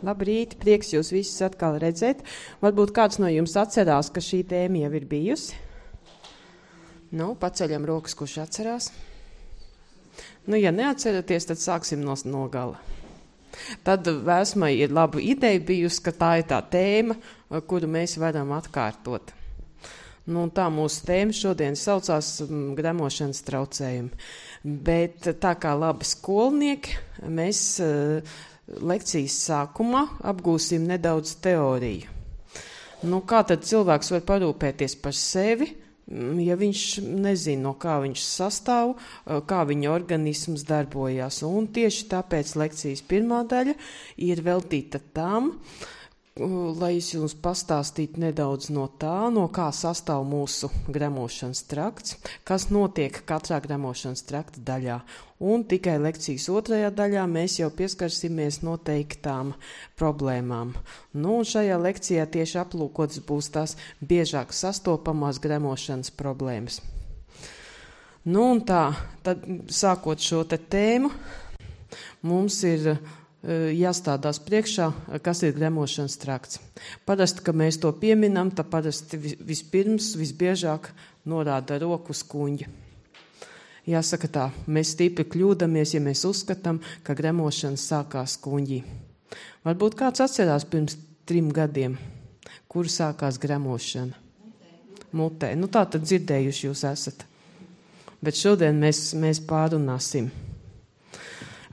Labrīt, prieks jūs visus atkal redzēt. Varbūt kāds no jums atcerās, ka šī tēma jau ir bijusi. Nu, paceļam rokas, kurš atcerās. Nu, ja neatceraties, tad sāksim no gala. Tad Vēsmai ir laba ideja bijusi, ka tā ir tā tēma, kuru mēs varam atkārtot. Nu, tā mūsu tēma šodien saucās gremošanas traucējumi. Bet tā kā labi skolnieki, mēs lekcijas sākumā apgūsim nedaudz teoriju. Nu, kā tad cilvēks var parūpēties par sevi, ja viņš nezina, no kā viņš sastāv, kā viņa organisms darbojās. Un tieši tāpēc lekcijas pirmā daļa ir veltīta tam, lai es jums pastāstītu nedaudz no tā, no kā sastāv mūsu gremošanas trakts, kas notiek katrā gremošanas trakta daļā. Un tikai lekcijas otrajā daļā mēs jau pieskarsimies noteiktām problēmām. Nu, un šajā lekcijā tieši aplūkotas būs tās biežāk sastopamās gremošanas problēmas. Nu, un tā, tad sākot šo te tēmu, mums ir jāstādās priekšā, kas ir gremošanas trakts. Parasti, ka mēs to pieminam, tad parasti vispirms, visbiežāk norāda roku uz kuņģi. Jāsaka tā, mēs stipri kļūdamies, ja mēs uzskatām, ka gremošana sākās kuņģī. Varbūt kāds atcerās pirms 3 gadiem, kur sākās gremošana? Mutē. Nu tā tad dzirdējuši jūs esat. Bet šodien mēs pārunāsim.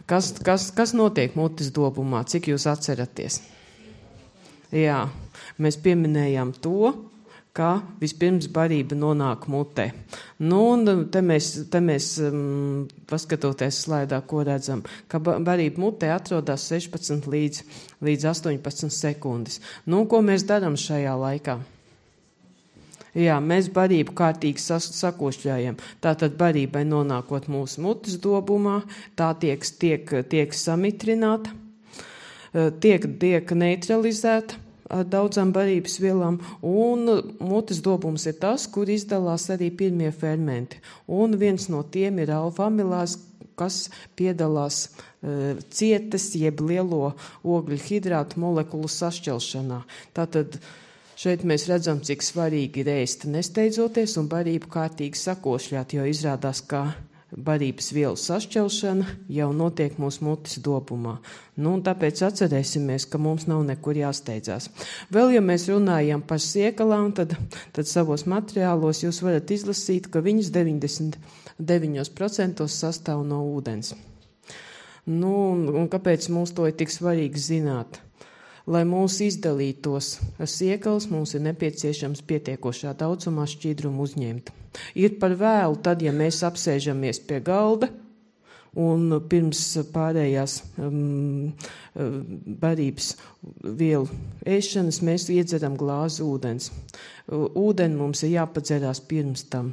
Kas notiek mutes dobumā? Cik jūs atceraties? Jā, mēs pieminējām to, ka vispirms barība nonāk mutē. Nu, un te mēs paskatoties slaidā, ko redzam, ka barība mutē atrodas 16 līdz 18 sekundes. Nu, ko mēs darām šajā laikā? Jā, mēs barību kārtīgi sakošļājam. Tātad barībai nonākot mūsu mutes dobumā, tā tiek samitrināta, tiek neutralizēta ar daudzām barības vielām, un mutes dobums ir tas, kur izdalās arī pirmie fermenti. Un viens no tiem ir alfa-amilāze, kas piedalās cietas jeb lielo ogļu hidrātu molekulu sašķelšanā. Tātad šeit mēs redzam, cik svarīgi ir ēst nesteidzoties un barību kārtīgi sakošļāt, jo izrādās, ka barības vielu sašķelšana jau notiek mūsu mutes dobumā. Nu, un tāpēc atcerēsimies, ka mums nav nekur jāsteidzās. Vēl, ja mēs runājam par siekalām, tad savos materiālos jūs varat izlasīt, ka viņas 99% sastāv no ūdens. Nu, un kāpēc mums to ir tik svarīgi zināt? Lai mūs izdalītos siekals, mums ir nepieciešams pietiekošā daudzumā šķidrumu uzņemt. Ir par vēlu tad, ja mēs apsēžamies pie galda un pirms pārējās barības vielu ēšanas mēs iedzeram glāzi ūdens. Ūdeni mums ir jāpadzerās pirms tam.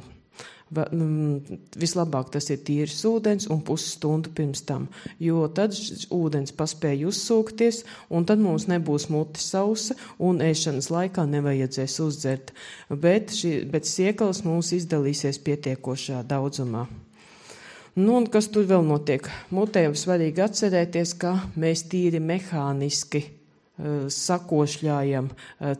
Vislabāk tas ir tīrs ūdens un pusstundu pirms tam, jo tad ūdens paspēja uzsūkties un tad mums nebūs mute sausa un ēšanas laikā nevajadzēs uzdzert, bet siekals mums izdalīsies pietiekošā daudzumā. Nu, un kas tur vēl notiek? Mutē svarīgi atcerēties, ka mēs tīri mehāniski sakošļājam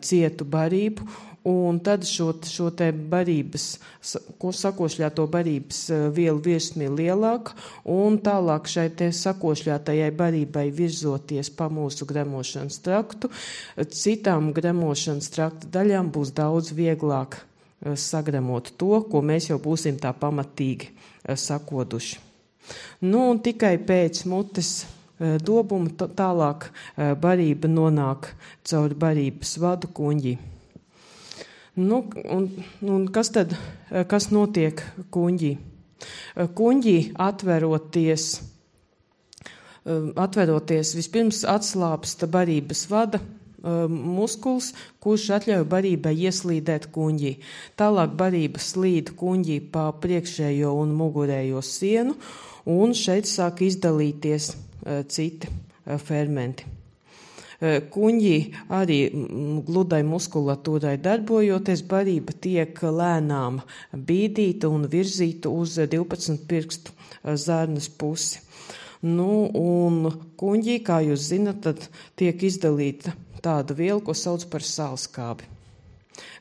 cietu barību, un tad šo te barības, sakošļāto barības vielu virsmi lielāk, un tālāk šai te sakošļātajai barībai virzoties pa mūsu gremošanas traktu, citām gremošanas trakta daļām būs daudz vieglāk sagremot to, ko mēs jau būsim tā pamatīgi sakoduši. Nu, un tikai pēc mutes dobuma tālāk barība nonāk caur barības vadu kuņģī. Nu, un kas notiek kuņģī? Kuņģī atveroties vispirms atslāpsta barības vada muskuls, kurš atļauj barībai ieslīdēt kuņģī. Tālāk barība slīd kuņģī pa priekšējo un mugurējo sienu, un šeit sāk izdalīties citi fermenti. Kuņģī arī gludai muskulatūrai darbojoties, barība tiek lēnām bīdīta un virzīta uz 12 pirkstu zarnas pusi. Nu, un kuņģī, kā jūs zinat, tad tiek izdalīta tāda viela, ko sauc par sālskābi.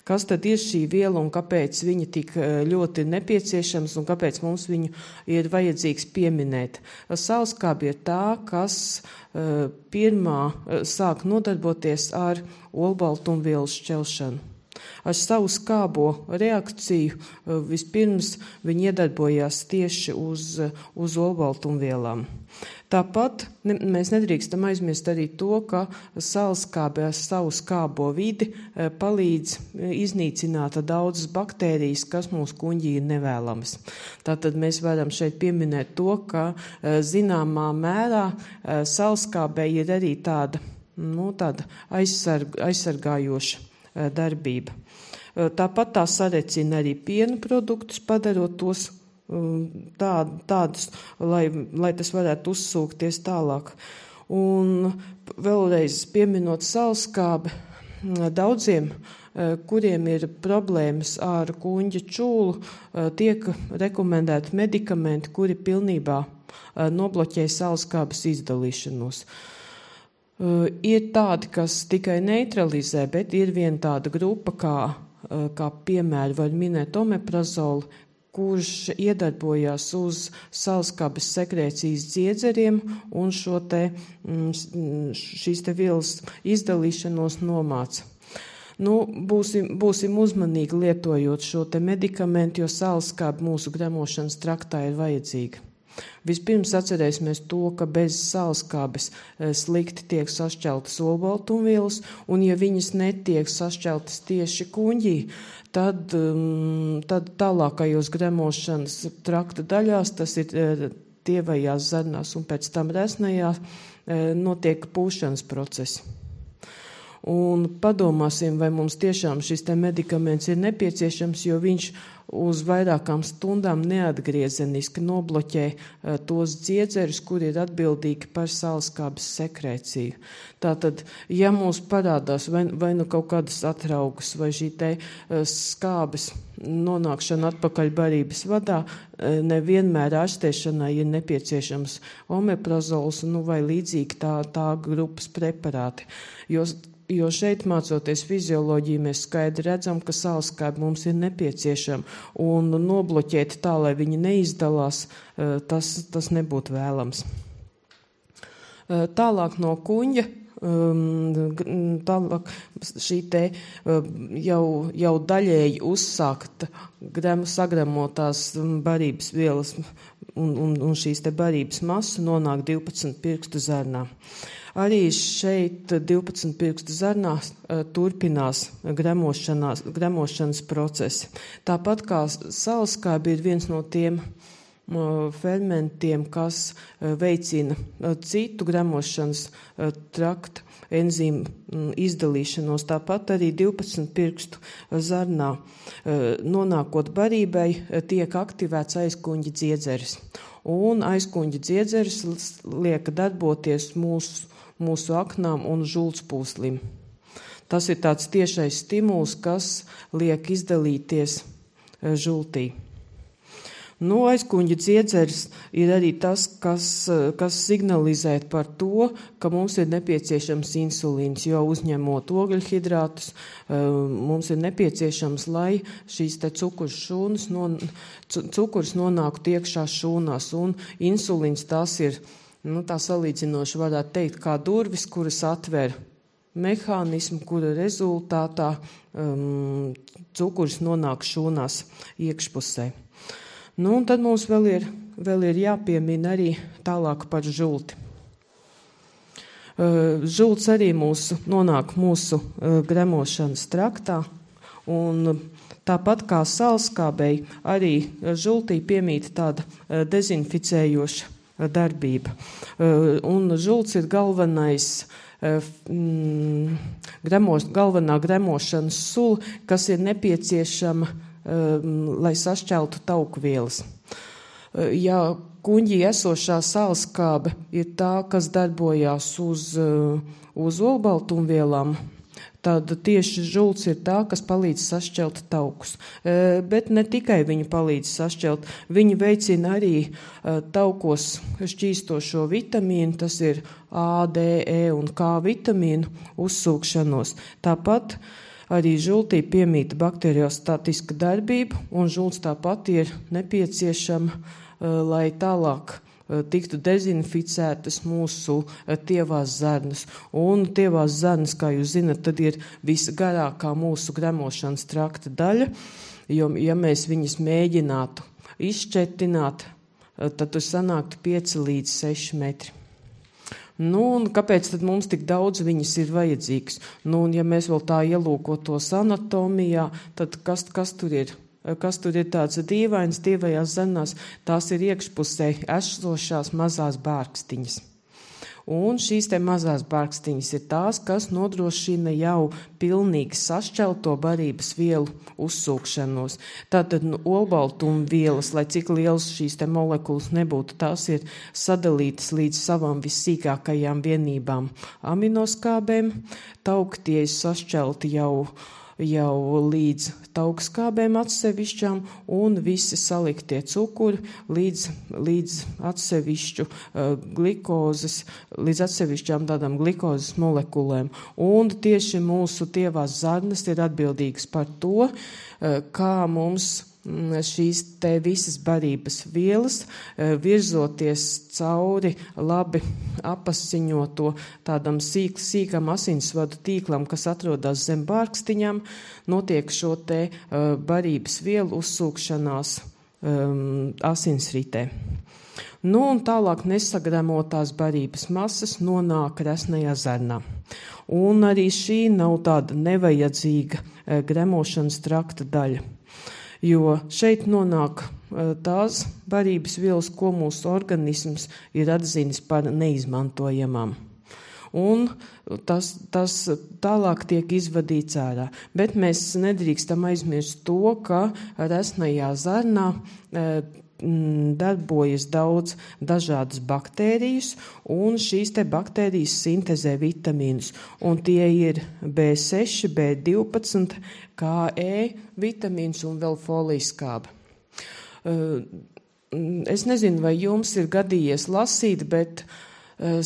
Kas tad ir šī viela un kāpēc viņa tik ļoti nepieciešams un kāpēc mums viņu ir vajadzīgs pieminēt? Sālskābi ir tā, kas pirmā sāk nodarboties ar olbaltumvielu šķelšanu. Ar savu skābo reakciju vispirms viņi iedarbojās tieši uz olbaltumvielām. Tāpat mēs nedrīkstam aizmirst arī to, ka sālskābe ar savu skābo vidi palīdz iznīcināt daudzas baktērijas, kas mūsu kuņģī ir nevēlamas. Tātad mēs varam šeit pieminēt to, ka zināmā mērā sālskābei ir arī tāda aizsargājoša darbība. Tāpat tā sarecina arī piena produktus, padarot tos tādus, lai tas varētu uzsūkties tālāk. Un vēlreiz pieminot sālskābi, daudziem, kuriem ir problēmas ar kuņģa čūlu, tiek rekomendēti medikamenti, kuri pilnībā nobloķē sālskābes izdalīšanos. Ir tādi, kas tikai neutralizē, bet ir viena tāda grupa, kā piemēru var minēt omeprazolu, kurš iedarbojās uz sālskābes sekrēcijas dziedzeriem un šīs te vielas izdalīšanos nomāca. Būsim uzmanīgi lietojot šo te medikamentu, jo sālskābe mūsu gremošanas traktā ir vajadzīga. Vispirms atcerēsimies to, ka bez sālskābes slikti tiek sašķeltas olbaltumvielas, un ja viņas netiek sašķeltas tieši kuņģī, tad tālākajos gremošanas trakta daļās, tas ir tievajās zarnās un pēc tam resnajā, notiek pūšanas procesi. Un padomāsim, vai mums tiešām šis te medikaments ir nepieciešams, jo viņš uz vairākām stundām neatgriezeniski nobloķē tos dziedzerus, kuri ir atbildīgi par sālskābes sekrēciju. Tātad, ja mums parādās vai nu kaut kādas atraugas, vai šī te skābes nonākšana atpakaļ barības vadā, nevienmēr ārstēšanai ir nepieciešams omeprazols, vai līdzīgi tā grupas preparāti. Jo šeit, mācoties fizioloģiju, mēs skaidri redzam, ka sālskābe mums ir nepieciešama, un nobloķēt tā, lai viņi neizdalās, tas nebūtu vēlams. Tālāk no kuņģa, tālāk šī te jau daļēji uzsākta sagremotās barības vielas un šīs te barības masa nonāk 12 pirkstu zarnā. Arī šeit 12 pirkstu zarnās turpinās gremošanas procesi. Tāpat kā sālskābe ir viens no tiem fermentiem, kas veicina citu gremošanas trakta enzīmu izdalīšanos. Tāpat arī 12 pirkstu zarnā nonākot barībai tiek aktivēts aizkuņģa dziedzeris. Un aizkuņģa dziedzeris liek darboties mūsu aknām un žultspūslim. Tas ir tāds tiešais stimuls, kas liek izdalīties žultī. Aizkuņģa dziedzeris ir arī tas, kas signalizē par to, ka mums ir nepieciešams insulīns, jo uzņemot ogļhidrātus, mums ir nepieciešams, lai šīs te cukurs nonāktu iekšā šūnās, un insulīns tas ir, tā salīdzinoši varētu teikt, kā durvis, kuras atver mehānismu, kura rezultātā cukurs nonāk šūnās iekšpusē. Un tad mums vēl ir jāpiemina arī tālāk par žulti. Žults arī nonāk mūsu gremošanas traktā, un tāpat kā sālskābei, arī žultī piemīt tāda dezinficējoša darbība. Un žults ir galvenā gremošanas sula, kas ir nepieciešama, lai sašķeltu tauku vielas. Ja kuņģī esošā sālskābe ir tā, kas darbojās uz olbaltumvielām, Tad tieši žults ir tā, kas palīdz sašķelt taukus. Bet ne tikai viņi palīdz sašķelt, viņi veicina arī taukos šķīstošo vitamīnu, tas ir A, D, E un K vitamīnu uzsūkšanos. Tāpat arī žultī piemīta bakteriostatiska darbība, un žults tāpat ir nepieciešama, lai tālāk tiktu dezinficētas mūsu tievās zarnas. Un tievās zarnas, kā jūs zinat, tad ir visgarākā mūsu gremošanas trakta daļa, jo, ja mēs viņas mēģinātu izšķetināt, tad tur sanāktu 5 līdz 6 metri. Un kāpēc tad mums tik daudz viņas ir vajadzīgas? Un ja mēs vēl tā ielūkotos anatomijā, tad kas tur ir? Kas tur ir tāds dīvains, tievajās zarnās, tās ir iekšpusē esošās mazās bārkstiņas. Un šīs te mazās bārkstiņas ir tās, kas nodrošina jau pilnīgi sašķelto barības vielu uzsūkšanos. Tātad olbaltuma vielas, lai cik liels šīs te molekulas nebūtu, tās ir sadalītas līdz savām vissīkākajām vienībām aminoskābēm. Tauktie ir sašķelti jau līdz taukskābēm atsevišķām un visi saliktie cukuri līdz atsevišķu līdz atsevišķām tādām glikozes molekulēm. Un tieši mūsu tievās zarnas ir atbildīgas par to, kā mums šīs te visas barības vielas virzoties cauri labi apasiņoto tādam sīkam asinsvadu tīklam, kas atrodas zem bārkstiņām, notiek šo te barības vielu uzsūkšanās asinsritē. Un tālāk nesagremotās barības masas nonāk resnajā zarnā. Un arī šī nav tāda nevajadzīga gremošanas trakta daļa. Jo šeit nonāk tās barības vielas, ko mūsu organisms ir atzinis par neizmantojamām. Un tas tālāk tiek izvadīts ārā. Bet mēs nedrīkstam aizmirst to, ka resnajā zarnā darbojas daudz dažādas baktērijas, un šīs te baktērijas sintezē vitamīnus. Un tie ir B6, B12, KE vitamīns un vēl folijas-skābe. Es nezinu, vai jums ir gadījies lasīt, bet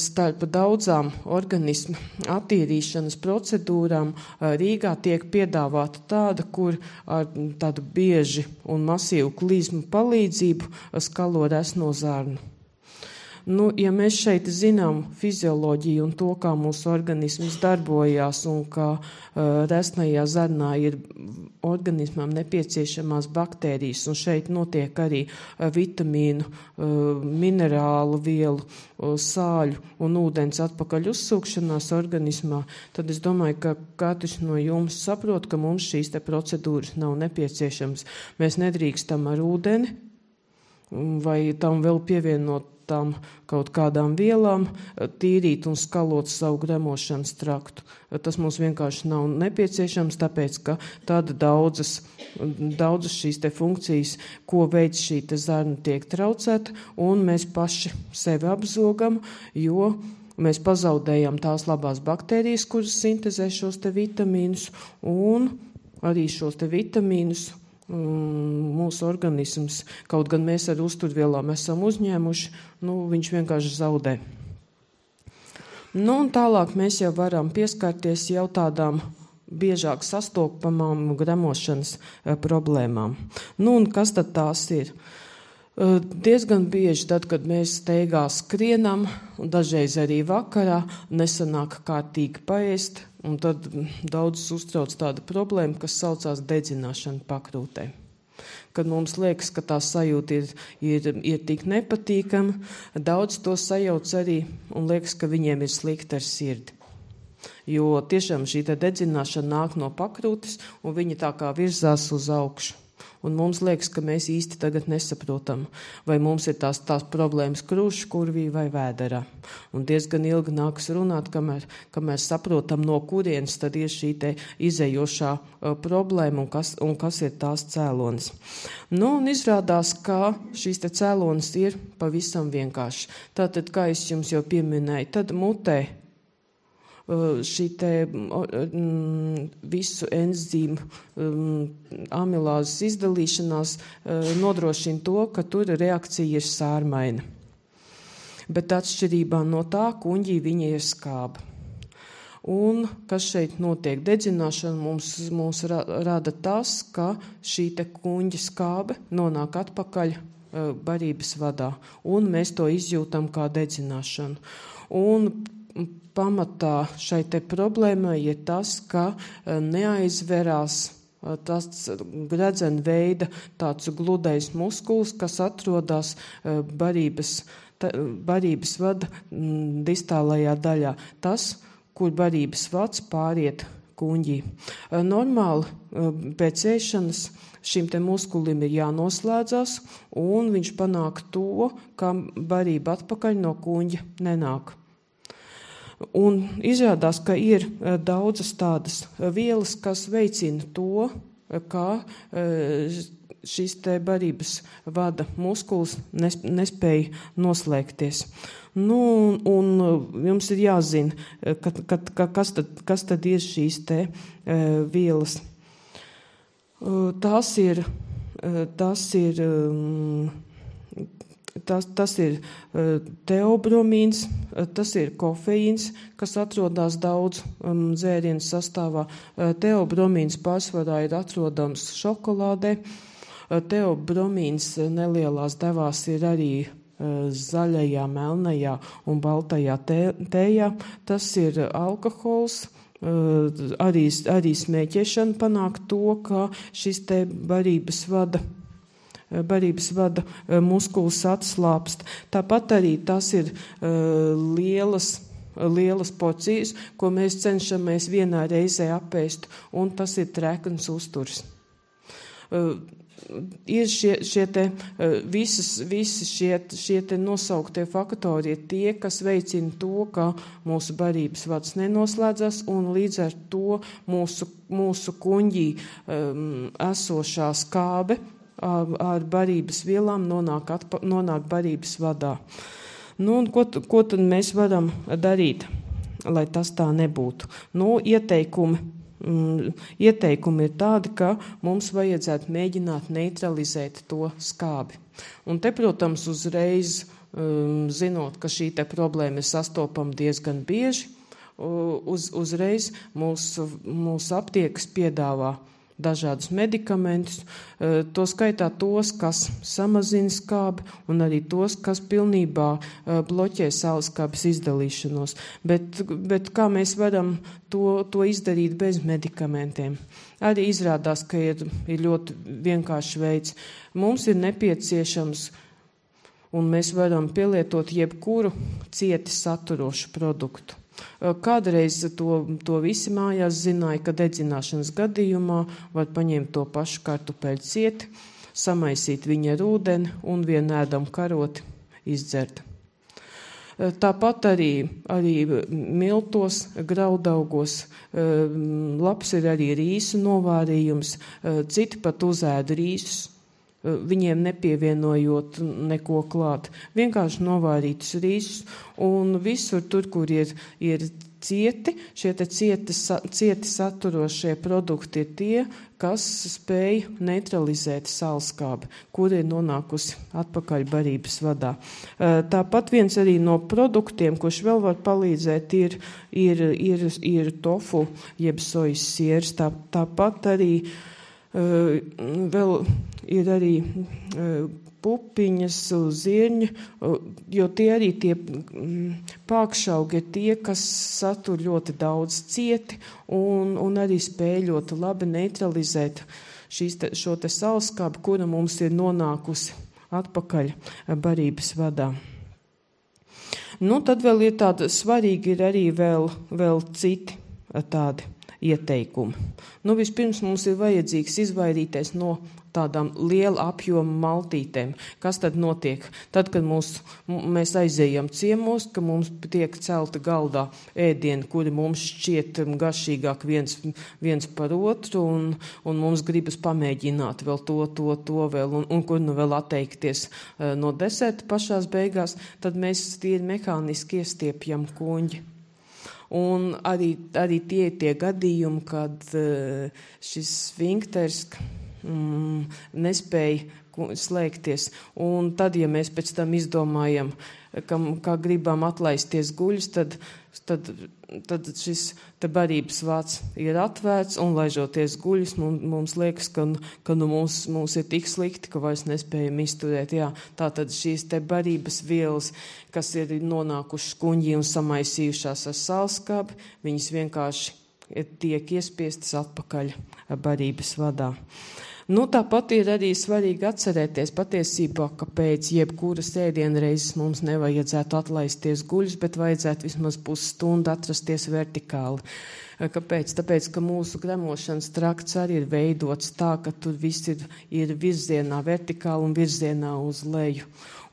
starp daudzām organismu attīrīšanas procedūrām Rīgā tiek piedāvāta tāda, kur ar tādu bieži un masīvu klizmu palīdzību skalo resno zarnu. Ja mēs šeit zinām fizioloģiju un to, kā mūsu organisms darbojās un kā resnajā zarnā ir organismam nepieciešamās baktērijas un šeit notiek arī vitamīnu, minerālu vielu, sāļu un ūdens atpakaļ uzsūkšanās organismā, tad es domāju, ka katrs no jums saprot, ka mums šīs te procedūras nav nepieciešams. Mēs nedrīkstam ar ūdeni vai tam vēl pievienot tām kaut kādām vielām, tīrīt un skalot savu gremošanas traktu. Tas mums vienkārši nav nepieciešams, tāpēc, ka tāda daudzas šīs te funkcijas, ko veids šī te zarna tiek traucēta, un mēs paši sevi apzogam, jo mēs pazaudējam tās labās baktērijas, kuras sintezē šos te vitamīnus, un arī šos te vitamīnus mūsu organisms, kaut gan mēs ar uzturvielām esam uzņēmuši, viņš vienkārši zaudē. Un tālāk mēs jau varam pieskarties jau tādām biežāk sastopamām gremošanas problēmām. Un kas tad tās ir? Diezgan bieži tad, kad mēs steigā skrienam, un dažreiz arī vakarā, nesanāk kārtīgi paēst, un tad daudz uztrauc tāda problēma, kas saucās dedzināšana pakrūtē. Kad mums liekas, ka tā sajūta ir tik nepatīkama, daudz to sajauc arī un liekas, ka viņiem ir slikti ar sirdi. Jo tiešām šī dedzināšana nāk no pakrūtes, un viņa tā kā virzās uz augšu. Un mums liekas, ka mēs īsti tagad nesaprotam, vai mums ir tās problēmas krūšu kurvī vai vēderā. Un diezgan ilgi nākas runāt, kamēr saprotam, no kurienes tad ir šī te izējošā problēma un kas ir tās cēlonis. Un izrādās, ka šīs te cēlonis ir pavisam vienkārši. Tātad, kā es jums jau pieminēju, tad mutē šī te visu enzīmu amilāzes izdalīšanās nodrošina to, ka tur reakcija ir sārmaina. Bet atšķirībā no tā kuņģī viņa ir skāba. Un kas šeit notiek? Dedzināšana mums rada tas, ka šī te kuņģa skābe nonāk atpakaļ barības vadā, un mēs to izjūtam kā dedzināšanu. Un pamatā šai te problēmai ir tas, ka neaizverās tas gredzena veida tāds gludais muskulis, kas atrodas barības vada distālajā daļā. Tas, kur barības vads pāriet kuņģī. Normāli pēc ēšanas šim te muskulim ir jānoslēdzas, un viņš panāk to, ka barība atpakaļ no kuņģa nenāk. Un izrādās, ka ir daudzas tādas vielas, kas veicina to, ka šis te barības vada muskulis nespēja noslēgties. Un jums ir jāzina, kas tad ir šīs te vielas. Tas ir teobromīns, tas ir kofeīns, kas atrodas daudz dzērienu sastāvā. Teobromīns pārsvarā ir atrodams šokolādē. Teobromīns nelielās devās ir arī zaļajā, melnajā un baltajā tējā. Tas ir alkohols. Arī smēķēšana panāk to, ka šis te barības vada muskulis atslāpst. Tāpat arī tas ir lielas porcijas, ko mēs cenšamies vienā reizē apēst, un tas ir trekns uzturs. Ir visi šie te nosauktie faktori ir tie, kas veicina to, ka mūsu barības vads nenoslēdzas, un līdz ar to mūsu kuņģī esošā skābe ar barības vielām nonāk barības vadā. Un ko tad mēs varam darīt, lai tas tā nebūtu? Ieteikumi ir tādi, ka mums vajadzētu mēģināt neutralizēt to skābi. Un te, protams, uzreiz, zinot, ka šī te problēma ir sastopama diezgan bieži, uzreiz mūsu aptiekas piedāvā dažādus medikamentus, to skaitā tos, kas samazina skābi, un arī tos, kas pilnībā bloķē sauleskābes izdalīšanos. Bet kā mēs varam to izdarīt bez medikamentiem? Arī izrādās, ka ir ļoti vienkāršs veids. Mums ir nepieciešams, un mēs varam pielietot jebkuru cieti saturošu produktu. Kādreiz to visi mājās zināja, ka dedzināšanas gadījumā var paņemt to pašu kartupeļu cieti, samaisīt viņu ar ūdeni un vienu ēdamu karoti izdzert. Tāpat arī miltos, graudaugos, labs ir arī rīsu novārījums, citi pat uzēda rīsus, viņiem nepievienojot neko klāt. Vienkārši novārītus rīsus, un visur tur, kur ir cieti, šie te cieti saturošie produkti ir tie, kas spēj neutralizēt sauleskābi, kur ir nonākusi atpakaļ barības vadā. Tāpat viens arī no produktiem, kurš vēl var palīdzēt, ir tofu, jeb sojas siers. Tāpat arī vēl ir arī pupiņas, zirņi, jo tie arī tie pākšaugi ir tie, kas satur ļoti daudz cieti un arī spēj ļoti labi neutralizēt šo te sauleskābi, kura mums ir nonākusi atpakaļ barības vadā. Tad vēl ir tāda svarīgi ir arī vēl citi tādi ieteikumi. Vispirms mums ir vajadzīgs izvairīties no tādām liela apjoma maltītēm. Kas tad notiek? Tad, kad mēs aizējam ciemos, ka mums tiek celta galdā ēdieni, kuri mums šķiet garšīgāk viens par otru, un mums gribas pamēģināt vēl to vēl, un kur vēl atteikties no deserta pašās beigās, tad mēs tīri mehāniski iestiepjam kuņģi. Un arī tie gadījumi, kad šis sfinkters nespēja slēgties. Un tad, ja mēs pēc tam izdomājam, kā gribam atlaisties guļus, tad šis te barības vāts ir atvērts un laižoties guļus, mums liekas, ka mums ir tik slikti, ka vairs nespējam izturēt. Jā, tātad šīs te barības vielas, kas ir nonākušas kuņģī un samaisījušās ar sālskābi, viņas vienkārši tiek iespiestas atpakaļ barības vadā. Tāpat ir arī svarīgi atcerēties patiesībā, ka pēc jebkuras ēdienreizes mums nevajadzētu atlaisties guļus, bet vajadzētu vismaz pusstundu atrasties vertikāli. Kāpēc? Tāpēc, ka mūsu gremošanas trakts arī ir veidots tā, ka tur viss ir virzienā vertikāli un virzienā uz leju.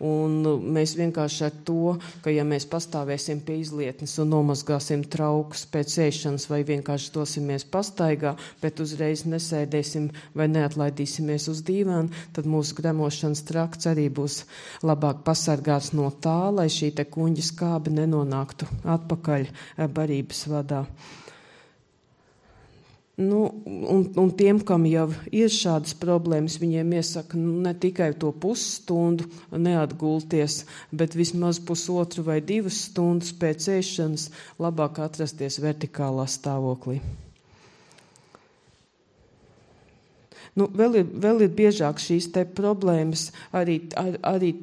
Un mēs vienkārši ar to, ka ja mēs pastāvēsim pie izlietnes un nomazgāsim traukus pēc ēšanas vai vienkārši dosimies pastaigā, bet uzreiz nesēdēsim vai neatlaidīsimies uz dīvānu, tad mūsu gremošanas trakts arī būs labāk pasargāts no tā, lai šī te kuņģa skābe nenonāktu atpakaļ barības vadā. Un tiem, kam jau ir šādas problēmas, viņiem iesaka ne tikai to pusstundu neatgulties, bet vismaz 1,5 vai 2 stundas pēc ēšanas labāk atrasties vertikālā stāvoklī. Vēl ir biežāk šīs te problēmas arī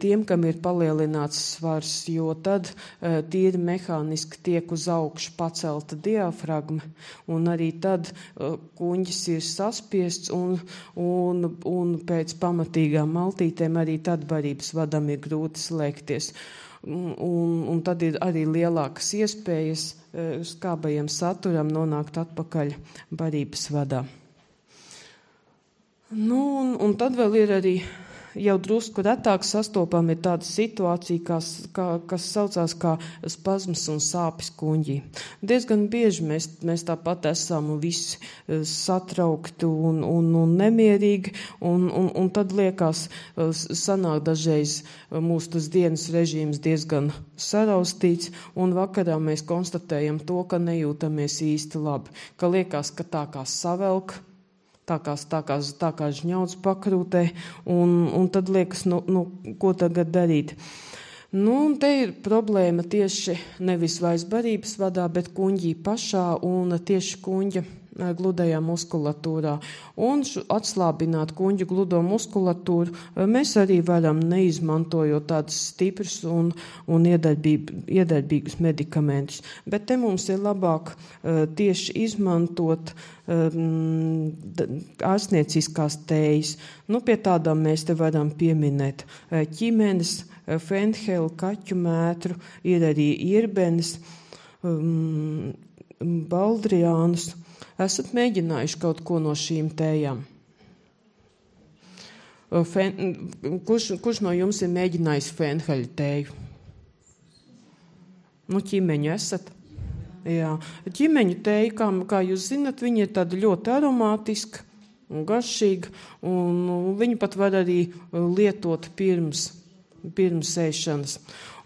tiem, kam ir palielināts svars, jo tad tīri mehāniski tiek uz augšu pacelta diafragma, un arī tad kuņģis ir saspiests, un pēc pamatīgām maltītēm arī tad barības vadam ir grūti slēgties. Un tad ir arī lielākas iespējas skābajam saturam nonākt atpakaļ barības vadā. Un tad vēl ir arī jau drusku retāk sastopama ir tāda situācija, kas saucās kā spazmas un sāpes kuņģī. Diezgan bieži mēs tāpat esam visi satraukti un nemierīgi, un tad liekas, sanāk dažreiz mūsu tas dienas režīms diezgan saraustīts, un vakarā mēs konstatējam to, ka nejūtamies īsti labi, ka liekas, ka tā kā savelk, tā kā žņauds pakrūtē, un tad liekas, ko tagad darīt. Un te ir problēma tieši nevis vairs barības vadā, bet kuņģī pašā un tieši kuņģa gludajā muskulatūrā. Un atslābināt kuņģa gludo muskulatūru mēs arī varam neizmantojot tādus stiprus un iedarbīgus medikamentus. Bet te mums ir labāk tieši izmantot ārstnieciskās tējas. Pie tādām mēs te varam pieminēt ķimenes, fenhelu, kaķu mētru, ir arī irbenes, baldriānus. Esat mēģinājuši kaut ko no šīm tējām? Kurš no jums ir mēģinājis fenheļu tēju? Ķimeņu esat? Jā. Ķimeņu tēja, kā jūs zinat, viņa ir tāda ļoti aromātiska un garšīga, un viņu pat var arī lietot pirms ēšanas.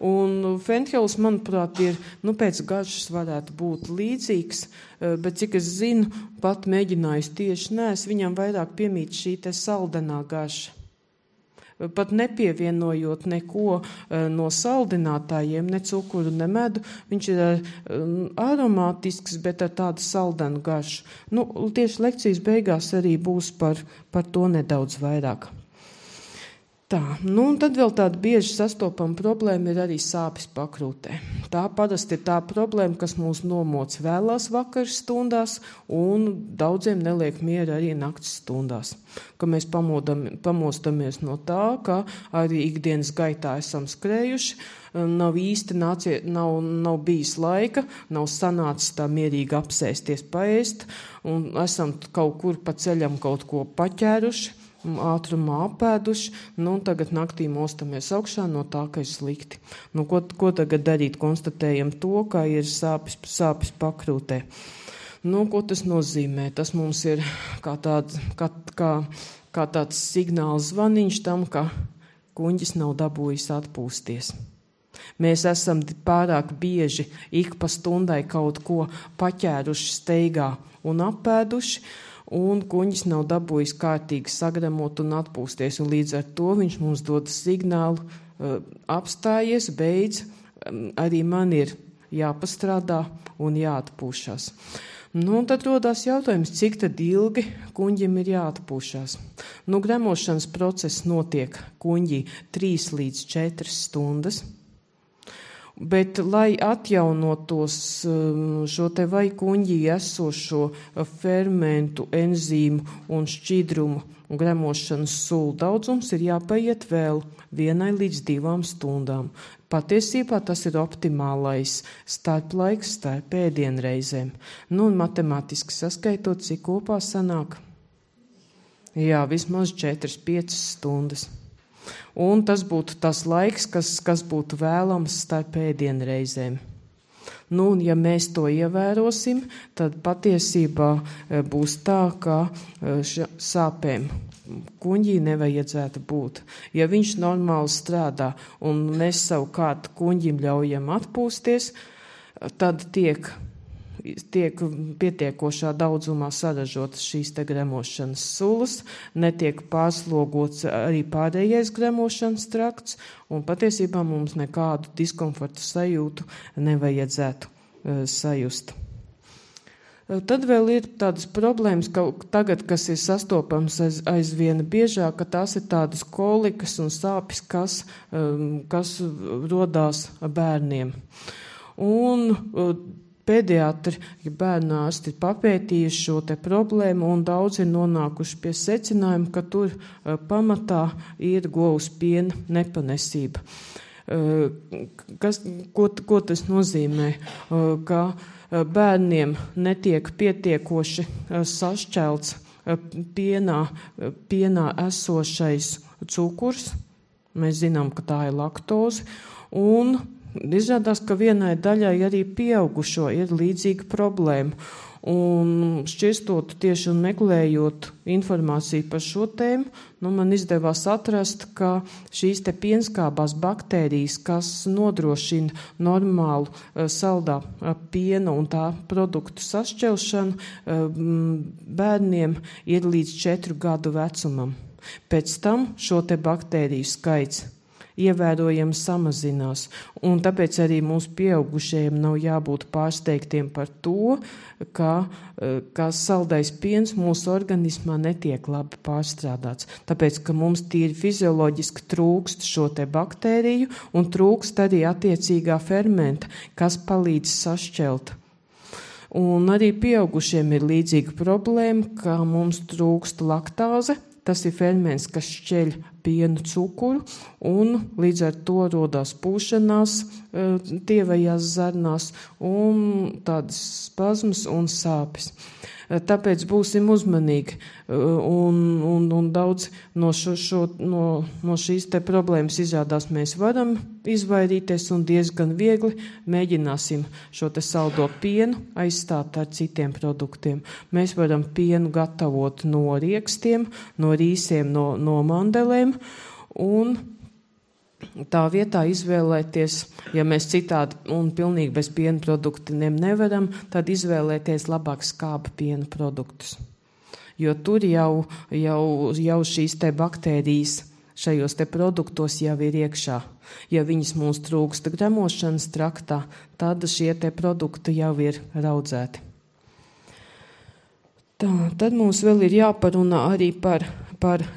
Un fenhels, manuprāt, ir, pēc garšas varētu būt līdzīgs, bet cik es zinu, pat mēģinājusi tieši viņam vairāk piemīt šī te saldenā garša. Pat nepievienojot neko no saldinātājiem, ne cukuru, ne medu, viņš ir aromātisks, bet ar tādu saldenu garšu. Tieši lekcijas beigās arī būs par to nedaudz vairāk. Tā, un tad vēl tāda bieži sastopama problēma ir arī sāpes pakrūtē. Tā parasti ir tā problēma, kas mūs nomoc vēlās vakaras stundās un daudziem neliek mieru arī naktas stundās. Ka mēs pamostamies no tā, ka arī ikdienas gaitā esam skrējuši, nav īsti nav bijis laika, nav sanācis tā mierīgi apsēsties paēst un esam kaut kur pa ceļam kaut ko paķēruši, ātrumā apēduši, un tagad naktī mostamies augšā no tā, ka ir slikti. Ko tagad darīt? Konstatējam to, ka ir sāpes pakrūtē. Ko tas nozīmē? Tas mums ir kā tāds signāls zvaniņš tam, ka kuņģis nav dabūjis atpūsties. Mēs esam pārāk bieži ik pa stundai kaut ko paķēruši steigā un apēduši, un kuņģis nav dabūjis kārtīgi sagremot un atpūsties, un līdz ar to viņš mums dod signālu apstājies, beidz, arī man ir jāpastrādā un jāatpūšas. Nu, un tad rodās jautājums, cik tad ilgi kuņģim ir jāatpūšās. Nu, gremošanas process notiek kuņģī 3 līdz 4 stundas, bet, lai atjaunotos šo te vai kuņģī esošo fermentu, enzīmu un šķidrumu un gremošanas sulu daudzums, ir jāpaiet vēl 1 līdz 2 stundām. Patiesībā tas ir optimālais starplaiks starp ēdienreizēm. Nu, un matemātiski saskaitot, cik kopā sanāk? Jā, vismaz 4-5 stundas. Un tas būtu tas laiks, kas būtu vēlams starp ēdienreizēm. Nu, un ja mēs to ievērosim, tad patiesībā būs tā, ka sāpēm kuņģī nevajadzētu būt. Ja viņš normāli strādā un mēs savukārt kuņģim ļaujam atpūsties, tad tiek pietiekošā daudzumā saražotas šīs te gremošanas sulas, netiek pārslogots arī pārējais gremošanas trakts, un patiesībā mums nekādu diskomfortu sajūtu nevajadzētu sajust. Tad vēl ir tādas problēmas, ka tagad, kas ir sastopams aizvien biežāk, ka tās ir tādas kolikas un sāpes, kas rodās bērniem. Un pediatri, bērnu ārsti ir papētījuši šo te problēmu, un daudz ir nonākuši pie secinājuma, ka tur pamatā ir govs piena nepanesība. Ko tas nozīmē? Ka bērniem netiek pietiekoši sašķelts pienā esošais cukurs. Mēs zinām, ka tā ir laktoze, un izrādās, ka vienai daļai arī pieaugušo ir līdzīga problēma. Un šķirstot tieši un meklējot informāciju par šo tēmu, man izdevās atrast, ka šīs te pienskābās baktērijas, kas nodrošina normālu saldā piena un tā produktu sašķelšanu, bērniem ir līdz 4 gadu vecumam. Pēc tam šo te baktēriju skaits ievērojami samazinās, un tāpēc arī mūsu pieaugušajiem nav jābūt pārsteigtiem par to, ka saldais piens mūsu organismā netiek labi pārstrādāts, tāpēc, ka mums tīri fizioloģiski trūkst šo te baktēriju un trūkst arī attiecīgā fermenta, kas palīdz sašķelt. Un arī pieaugušiem ir līdzīga problēma, ka mums trūkst laktāze. Tas ir ferments, kas šķeļ pienu cukuru, un līdz ar to rodās pūšanās tievajās zarnās un tādas spazmas un sāpes. Tāpēc būsim uzmanīgi, un daudz no šīs te problēmas izrādās mēs varam izvairīties, un diezgan viegli mēģināsim šo te saldo pienu aizstāt ar citiem produktiem. Mēs varam pienu gatavot no riekstiem, no rīsiem, no mandelēm, un tā vietā izvēlēties, ja mēs citādi un pilnīgi bez piena produktiem nevaram, tad izvēlēties labāk skāba piena produktus. Jo tur jau šīs te baktērijas šajos te produktos jau ir iekšā. Ja viņas mums trūksta gremošanas traktā, tad šie te produkti jau ir raudzēti. Tad mums vēl ir jāparunā arī par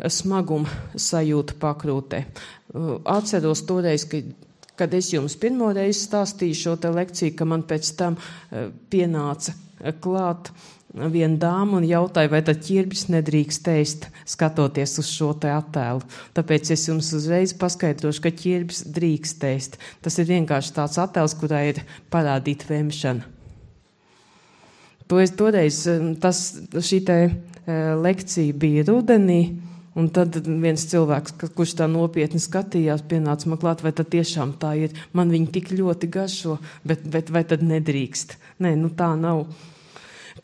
smagumu sajūtu pakrūtē. Atceros toreiz, kad es jums pirmo reizi stāstīju šo te lekciju, ka man pēc tam pienāca klāt viena dāma un jautāja, vai tad ķirbis nedrīkst ēst, skatoties uz šo te attēlu. Tāpēc es jums uzreiz paskaidrošu, ka ķirbis drīkst ēst. Tas ir vienkārši tāds attēls, kurā ir parādīta vemšana. Toreiz šī te lekcija bija rudenī, un tad viens cilvēks, kurš tā nopietni skatījās, pienāca man klāt, vai tad tiešām tā ir. Man viņi tik ļoti garšo, bet vai tad nedrīkst? Nē, tā nav.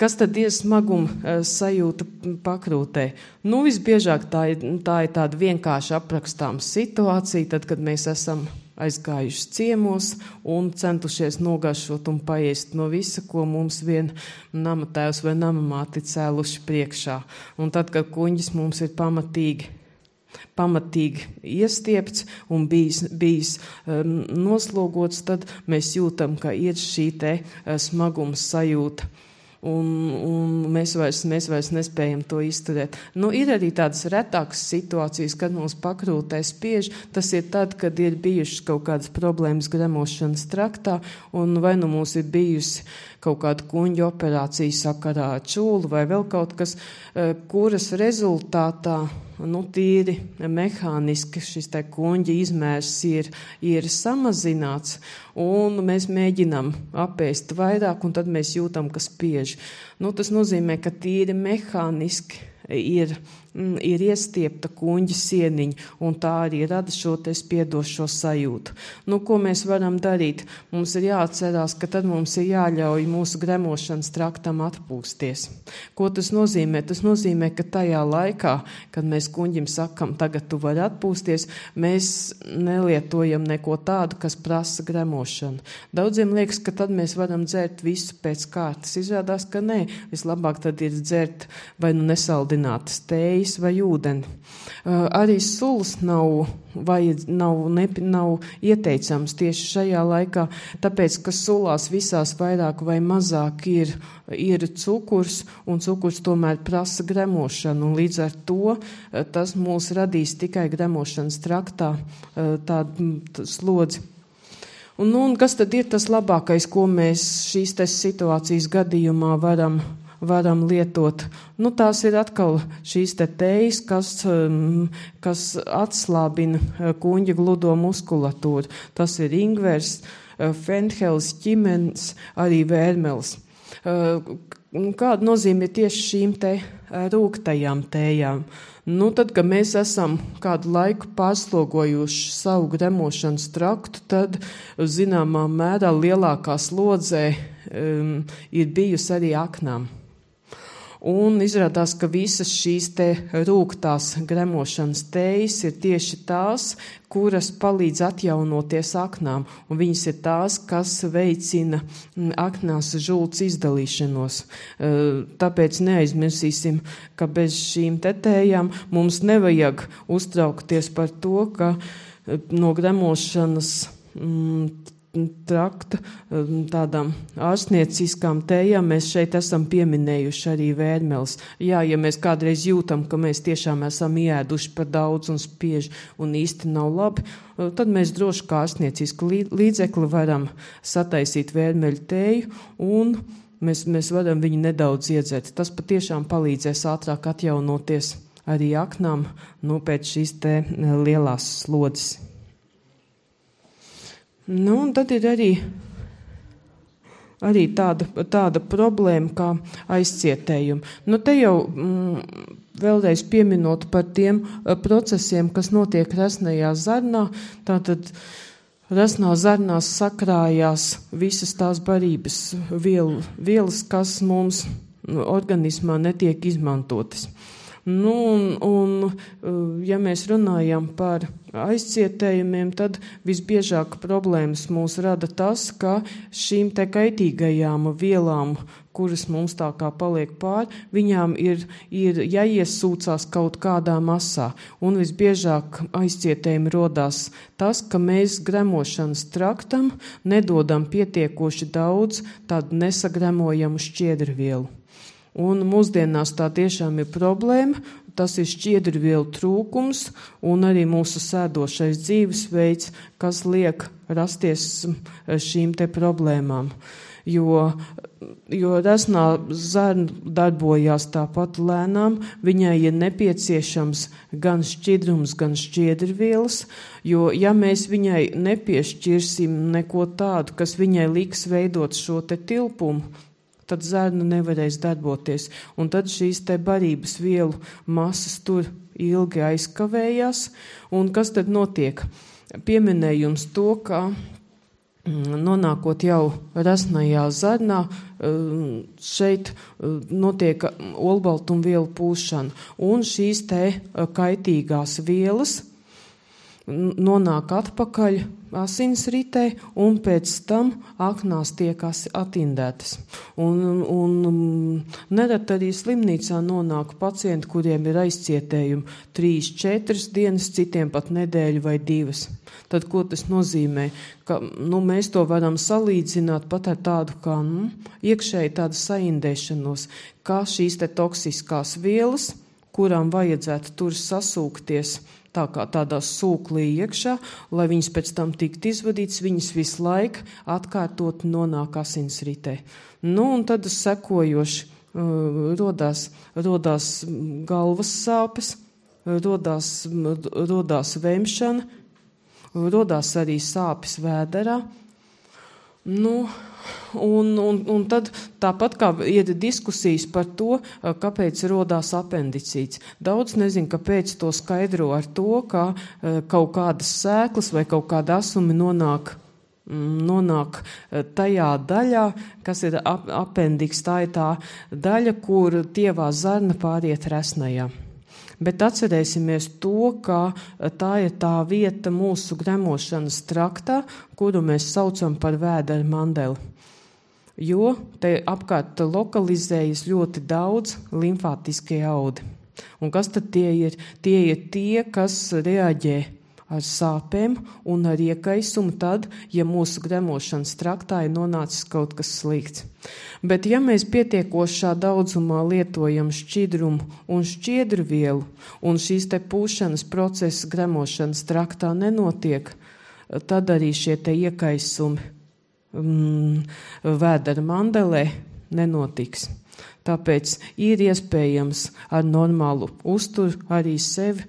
Kas tad ir smaguma sajūta pakrūtē? Visbiežāk tā ir tāda vienkārši aprakstāma situācija, tad, kad mēs esam aizgājuši ciemos un centušies nogaršot un paēst no visa, ko mums vien namatēvs vai namamāti cēluši priekšā. Un tad, kad kuņģis mums ir pamatīgi iestiepts un bijis noslogots, tad mēs jūtam, ka ir šī te smagums sajūta. Un mēs vairs nespējam to izturēt. Ir arī tādas retākas situācijas, kad mums pakrūtē spiež. Tas ir tad, kad ir bijušas kaut kādas problēmas gremošanas traktā, un vai mums ir bijusi kaut kāda kuņģa operācija sakarā ar čūlu vai vēl kaut kas, kuras rezultātā tīri mehāniski šis te kuņģa izmērs ir samazināts, un mēs mēģinām apēst vairāk, un tad mēs jūtam, ka spiež. Tas nozīmē, ka tīri mehāniski ir iestiepta kuņģa sieniņa, un tā arī rada šo te spiedošo sajūtu. Ko mēs varam darīt? Mums ir jāatcerās, ka tad mums ir jāļauj mūsu gremošanas traktam atpūsties. Ko tas nozīmē? Tas nozīmē, ka tajā laikā, kad mēs kuņģim sakam, tagad tu vari atpūsties, mēs nelietojam neko tādu, kas prasa gremošanu. Daudziem liekas, ka tad mēs varam dzert visu pēc kārtas. Izrādās, ka nē. Vislabāk tad ir dzert vai nesaldinātas tējas vai ūdeni. Arī sulas nav ieteicams tieši šajā laikā, tāpēc, ka sulās visās vairāk vai mazāk ir cukurs, un cukurs tomēr prasa gremošanu, un līdz ar to tas mūs radīs tikai gremošanas traktā tādu slodzi. Un kas tad ir tas labākais, ko mēs šīs situācijas gadījumā varam lietot? Tās ir atkal šīs tējas, kas atslābina kuņģa gludo muskulatūru. Tas ir ingvers, fenhels, ķimens, arī vērmels. Kāda nozīme ir tieši šīm te rūgtajām tējām? Tad, kad mēs esam kādu laiku pārslogojuši savu gremošanas traktu, tad zināmā mērā lielākā slodzē ir bijusi arī aknām. Un izrādās, ka visas šīs te rūgtās gremošanas tējas ir tieši tās, kuras palīdz atjaunoties aknām, un viņas ir tās, kas veicina aknās žults izdalīšanos. Tāpēc neaizmirsīsim, ka bez šīm tējām mums nevajag uztraukties par to, ka no gremošanas trakta tādām ārstnieciskām tējām mēs šeit esam pieminējuši arī vērmeles. Jā, ja mēs kādreiz jūtam, ka mēs tiešām esam ieēduši par daudz un spiež un īsti nav labi, tad mēs droši kā ārstniecisku līdzekli varam sataisīt vērmeļu tēju un mēs varam viņu nedaudz iedzert. Tas patiešām palīdzēs ātrāk atjaunoties arī aknām pēc šīs te lielās slodzes. Un tad ir arī tāda problēma kā aizcietējumi. Te jau vēlreiz pieminot par tiem procesiem, kas notiek resnajā zarnā, tātad resnā zarnās sakrājās visas tās barības vielas, kas mums organismā netiek izmantotas. Ja mēs runājam par aizcietējumiem, tad visbiežāk problēmas mūs rada tas, ka šīm te kaitīgajām vielām, kuras mums tā kā paliek pāri, viņām ir jāiesūcās kaut kādā masā. Un visbiežāk aizcietējumi rodās tas, ka mēs gremošanas traktam nedodam pietiekoši daudz tādu nesagremojamu šķiedrvielu. Un mūsdienās tā tiešām ir problēma, tas ir šķiedrvielu trūkums un arī mūsu sēdošais dzīvesveids, kas liek rasties šīm te problēmām. Jo resnā zarna darbojās tāpat lēnām, viņai ir nepieciešams gan šķidrums, gan šķiedrvielas, jo ja mēs viņai nepiešķirsim neko tādu, kas viņai liks veidot šo te tilpumu, tad zarna nevarēs darboties. Un tad šīs te barības vielu masas tur ilgi aizkavējās. Un kas tad notiek? Pieminējums to, ka nonākot jau resnajā zarnā, šeit notiek olbaltumvielu pūšana. Un šīs te kaitīgās vielas nonāk atpakaļ asinsritē un pēc tam aknās tiek atindētas. Un nerad arī slimnīcā nonāk pacienti, kuriem ir aizcietējumi 3-4 dienas, citiem pat nedēļu vai 2. Tad, ko tas nozīmē? Ka, mēs to varam salīdzināt pat ar tādu kā iekšēji tādu saindēšanos, kā šīs te toksiskās vielas, kurām vajadzētu tur sasūkties tā kā tādā sūklī iekšā, lai viņas pēc tam tiktu izvadītas, viņas visu laiku atkārtot nonāk asinsritē. Un tad sekojoši rodās galvas sāpes, rodās vemšana, rodās arī sāpes vēderā. Un tad tāpat kā ir diskusijas par to, kāpēc rodās apendicīts. Daudz nezinu, kāpēc to skaidro ar to, ka kaut kādas sēklas vai kaut kāda asumi nonāk tajā daļā, kas ir apendiks. Tā ir tā daļa, kur tievā zarna pāriet resnajā. Bet atcerēsimies to, ka tā ir tā vieta mūsu gremošanas traktā, kuru mēs saucam par vēdera mandeli. Jo te apkārt lokalizējas ļoti daudz limfātiskie audi. Un kas tad tie ir? Tie ir tie, kas reaģē ar sāpēm un ar iekaisumu tad, ja mūsu gremošanas traktā ir nonācis kaut kas slikts. Bet ja mēs pietiekošā daudzumā lietojam šķidrumu un šķiedrvielu, un šīs te pūšanas procesa gremošanas traktā nenotiek, tad arī šie te iekaisumi vēdera mandelē nenotiks. Tāpēc ir iespējams ar normālu uzturu arī sevi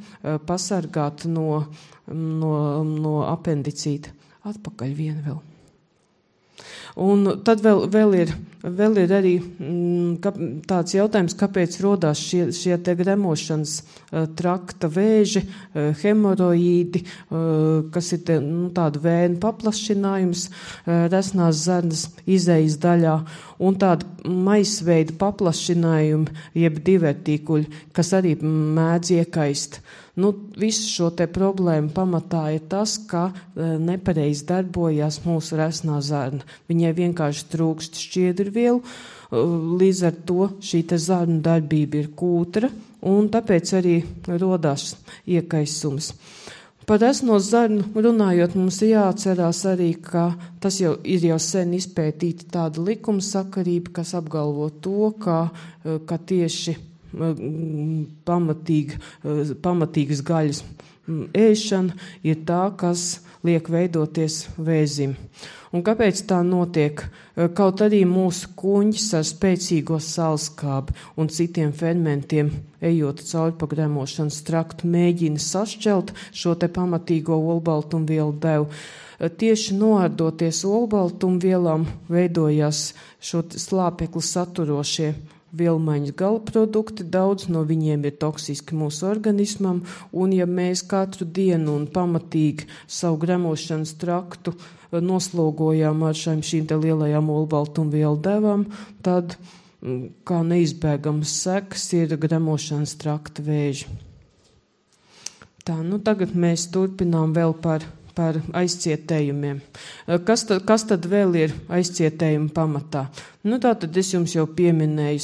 pasargāt no apendicīta. Atpakaļ vienu vēl. Un tad vēl ir arī tāds jautājums, kāpēc rodās šie te gremošanas trakta vēži, hemoroīdi, kas ir tāda vēnu paplašinājums resnās zarnas izejas daļā, un tāda maisveida paplašinājumi, jeb divertīkuļi, kas arī mēdz iekaist. Visu šo te problēmu pamatā ir tas, ka nepareizi darbojās mūsu resnā zarna. Viņai vienkārši trūkst šķiedrvielu, līdz ar to šī te zarnu darbība ir kūtra, un tāpēc arī rodās iekaisums. Par resno zarnu runājot, mums jāatcerās arī, ka tas jau ir sen izpētīta tāda likumsakarība, kas apgalvo to, ka tieši pamatīgas gaļas ēšana ir tā, kas liek veidoties vēzim. Un kāpēc tā notiek? Kaut arī mūsu kuņģis ar spēcīgo salskābi un citiem fermentiem, ejot cauri pa gremošanas traktu, mēģina sašķelt šo te pamatīgo olbaltumvielu devu. Tieši noardoties olbaltumvielām veidojās šo slāpekli saturošie vielmaiņas galprodukti, daudz no viņiem ir toksiski mūsu organismam, un ja mēs katru dienu un pamatīgi savu gremošanas traktu noslogojām ar šīm te lielajām olbaltumvielu devām, tad kā neizbēgams sekas ir gremošanas trakta vēži. Tā, tagad mēs turpinām vēl par aizcietējumiem. Kas tad vēl ir aizcietējuma pamatā? Tātad es jums jau pieminēju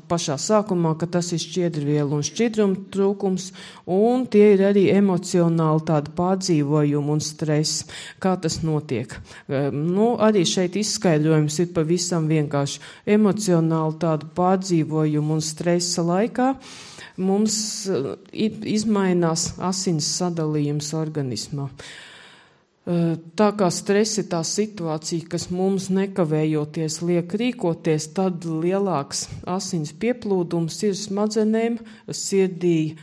pašā sākumā, ka tas ir šķiedrvielu un šķidruma trūkums, un tie ir arī emocionāli tādi pārdzīvojumi un stress. Kā tas notiek? Arī šeit izskaidrojums ir pavisam vienkārši. Emocionāli tādu pārdzīvojumu un stresa laikā mums izmainās asins sadalījums organismā. Tā kā stress ir tā situācija, kas mums nekavējoties liek rīkoties, tad lielāks asins pieplūdums ir smadzenēm, sirdī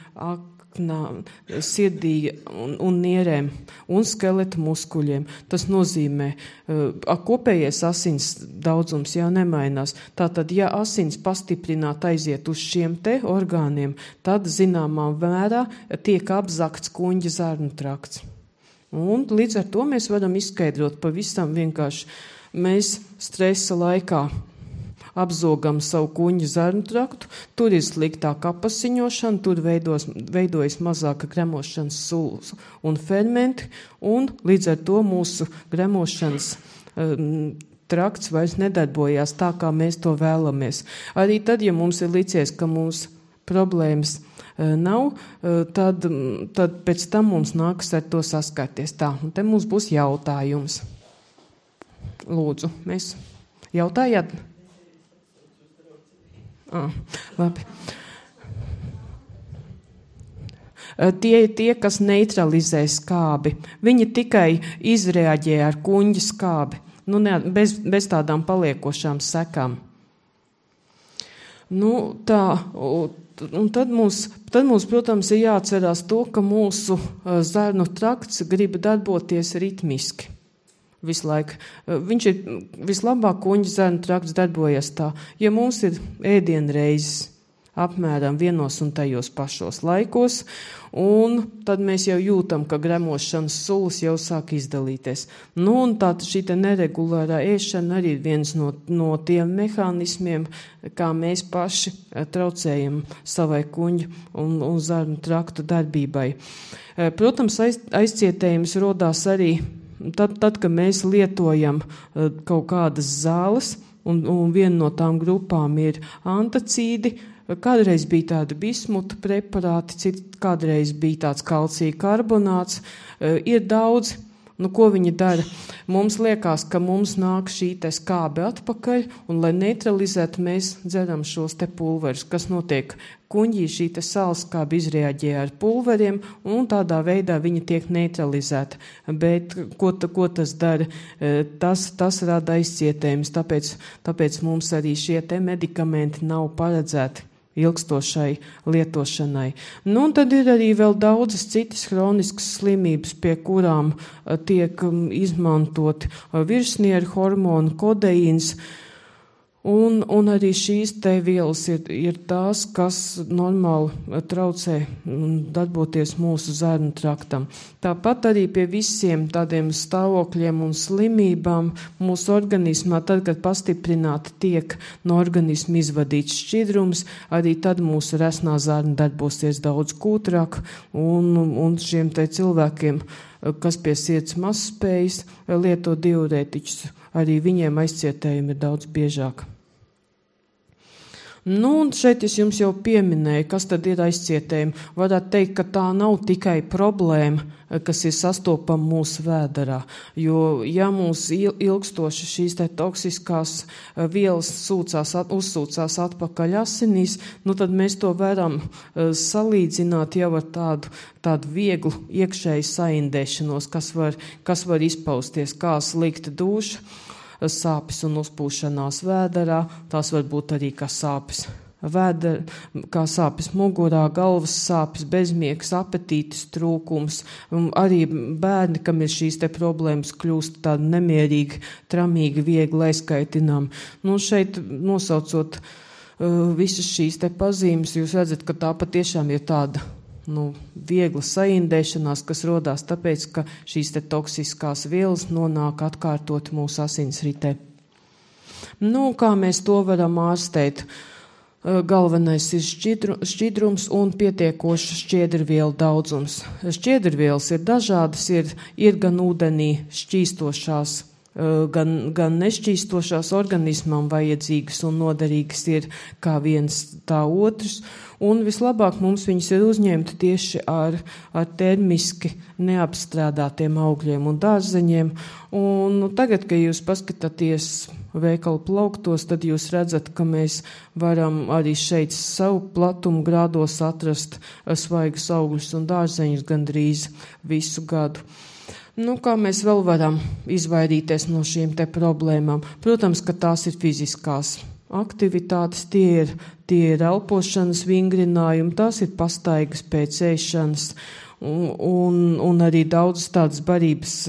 un nierēm un skeleta muskuļiem. Tas nozīmē, kopējais asins daudzums jau nemainās. Tātad, ja asins pastiprināt aiziet uz šiem te orgāniem, tad zināmā mērā tiek apzakts kuņģa zarnu trakts. Un līdz ar to mēs varam izskaidrot pavisam vienkārši. Mēs stresa laikā apzogam savu kuņģa zarnu traktu, tur ir sliktāka apasiņošana, tur veidojas mazāka gremošanas sulas un fermenti, un līdz ar to mūsu gremošanas trakts vairs nedarbojās tā, kā mēs to vēlamies. Arī tad, ja mums ir licies, ka mums problēmas nav, tad pēc tam mums nākas ar to saskarties. Tā, un te mums būs jautājums. Lūdzu, mēs jautājāt? Labi. Tie, kas neutralizē skābi, viņi tikai izreaģē ar kuņģa skābi, bez tādām paliekošām sekām. Tā, un tad mums, protams, ir jāatcerās to, ka mūsu zarnu trakts grib darboties ritmiski. Visu laiku. Viņš ir vislabāk kuņģa zarnu trakts darbojas tā. Ja mums ir ēdienreizes apmēram vienos un tajos pašos laikos, un tad mēs jau jūtam, ka gremošanas sulas jau sāk izdalīties. Un tā šī neregulārā ēšana arī ir viens no tiem mehānismiem, kā mēs paši traucējam savai kuņģa un zarnu traktu darbībai. Protams, aizcietējums rodās arī tad, kad mēs lietojam kaut kādas zāles, un viena no tām grupām ir antacīdi. Kādreiz bija tādi bismuta preparāti, kādreiz bija tāds kalcija karbonāts. Ir daudz, ko viņi dara. Mums liekas, ka mums nāk šī skābe atpakaļ, un lai neutralizētu, mēs dzeram šos pulverus, kas notiek kuņģī, šī sālskābe izreaģē ar pulveriem, un tādā veidā viņa tiek neutralizēta. Bet ko tas dara? Tas rada aizcietējumus, tāpēc mums arī šie medikamenti nav paredzēti ilgstošai lietošanai. Un tad ir arī vēl daudzas citas hroniskas slimības, pie kurām tiek izmantoti virsnieru hormoni, kodeīns, un arī šīs vielas ir tās, kas normāli traucē darboties mūsu zarnu traktam. Tāpat arī pie visiem tādiem stāvokļiem un slimībām mūsu organismā, tad, kad pastiprināti tiek no organisma izvadīts šķidrums, arī tad mūsu resnā zarna darbosies daudz kūtrāk, un šiem cilvēkiem, kas pie sirds mazspējas lieto diurētiķus, arī viņiem aizcietējumi ir daudz biežāk. Un šeit es jums jau pieminēju, kas tad ir aizcietējumi. Varētu teikt, ka tā nav tikai problēma, kas ir sastopama mūsu vēderā, jo ja mums ilgstoši šīs toksiskās vielas uzsūcās atpakaļ asinīs, tad mēs to varam salīdzināt jau ar tādu vieglu iekšēju saindēšanos, kas var izpausties kā slikta duša, sāpes un uzpūšanās vēderā, tās var būt arī kā sāpes mugurā, galvas sāpes, bezmiegs, apetītes trūkums. Arī bērni, kam ir šīs problēmas, kļūst tādi nemierīgi, tramīgi, viegli aizkaitinām. Šeit nosaucot visas šīs pazīmes, jūs redzat, ka tā patiešām ir tāda viegla saindēšanās, kas rodās tāpēc, ka šīs toksiskās vielas nonāk atkārtot mūsu asinsritē. Kā mēs to varam ārstēt? Galvenais ir šķidrums un pietiekošs šķiedrvielu daudzums. Šķiedrvielas ir dažādas, ir gan ūdenī šķīstošās, gan nešķīstošās organismam vajadzīgas un noderīgas ir kā viens tā otrs. Un vislabāk mums viņas ir uzņemt tieši ar termiski neapstrādātiem augļiem un dārzeņiem. Un tagad, kad jūs paskatāties veikalu plauktos, tad jūs redzat, ka mēs varam arī šeit savu platumu grādos atrast svaigus augļus un dārzeņus gandrīz visu gadu. Kā mēs vēl varam izvairīties no šīm problēmām? Protams, ka tās ir fiziskās aktivitātes, tie ir elpošanas vingrinājumi, tās ir pastaigas pēc ēšanas un arī daudzas tādas barības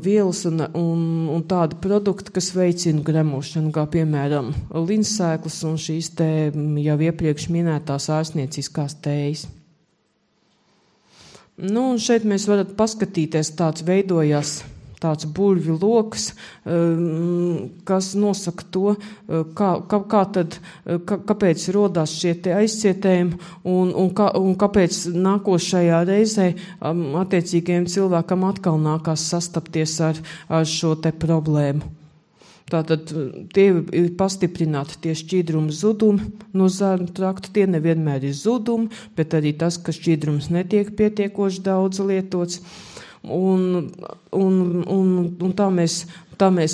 vielas un tādi produkti, kas veicina gremošanu, kā piemēram linsēklas un šīs jau iepriekš minētās ārstnieciskās tējas. Un šeit mēs varat paskatīties, tāds veidojās tāds burvi loks, kas nosaka to, kāpēc rodās šie te aizcietējumi un kāpēc nākošajā reizē attiecīgajiem cilvēkam atkal nākās sastapties ar šo te problēmu. Tātad tie ir pastiprināti tie šķīdruma zudumi no zarnu trakta, tie nevienmēr ir zudumi, bet arī tas, ka šķīdrums netiek pietiekoši daudz lietots. Un tā mēs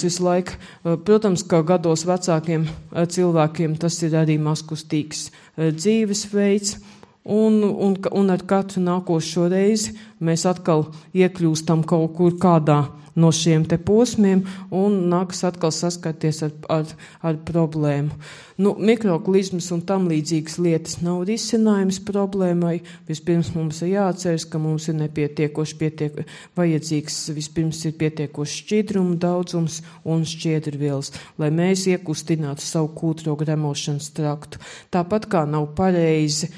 visu laiku, protams, kā gados vecākiem cilvēkiem, tas ir arī mazkustīgs dzīvesveids, un ar katru nākošo reizi mēs atkal iekļūstam kaut kur kādā no šiem te posmiem un nākas atkal saskarties ar problēmu. Mikroklizmas un tam līdzīgas lietas nav risinājums problēmai. Vispirms mums ir jāatceras, ka mums ir vajadzīgs vispirms ir pietiekoši šķidruma daudzums un šķiedrvielas, lai mēs iekustinātu savu kūtro gremošanas traktu. Tāpat kā nav pareizi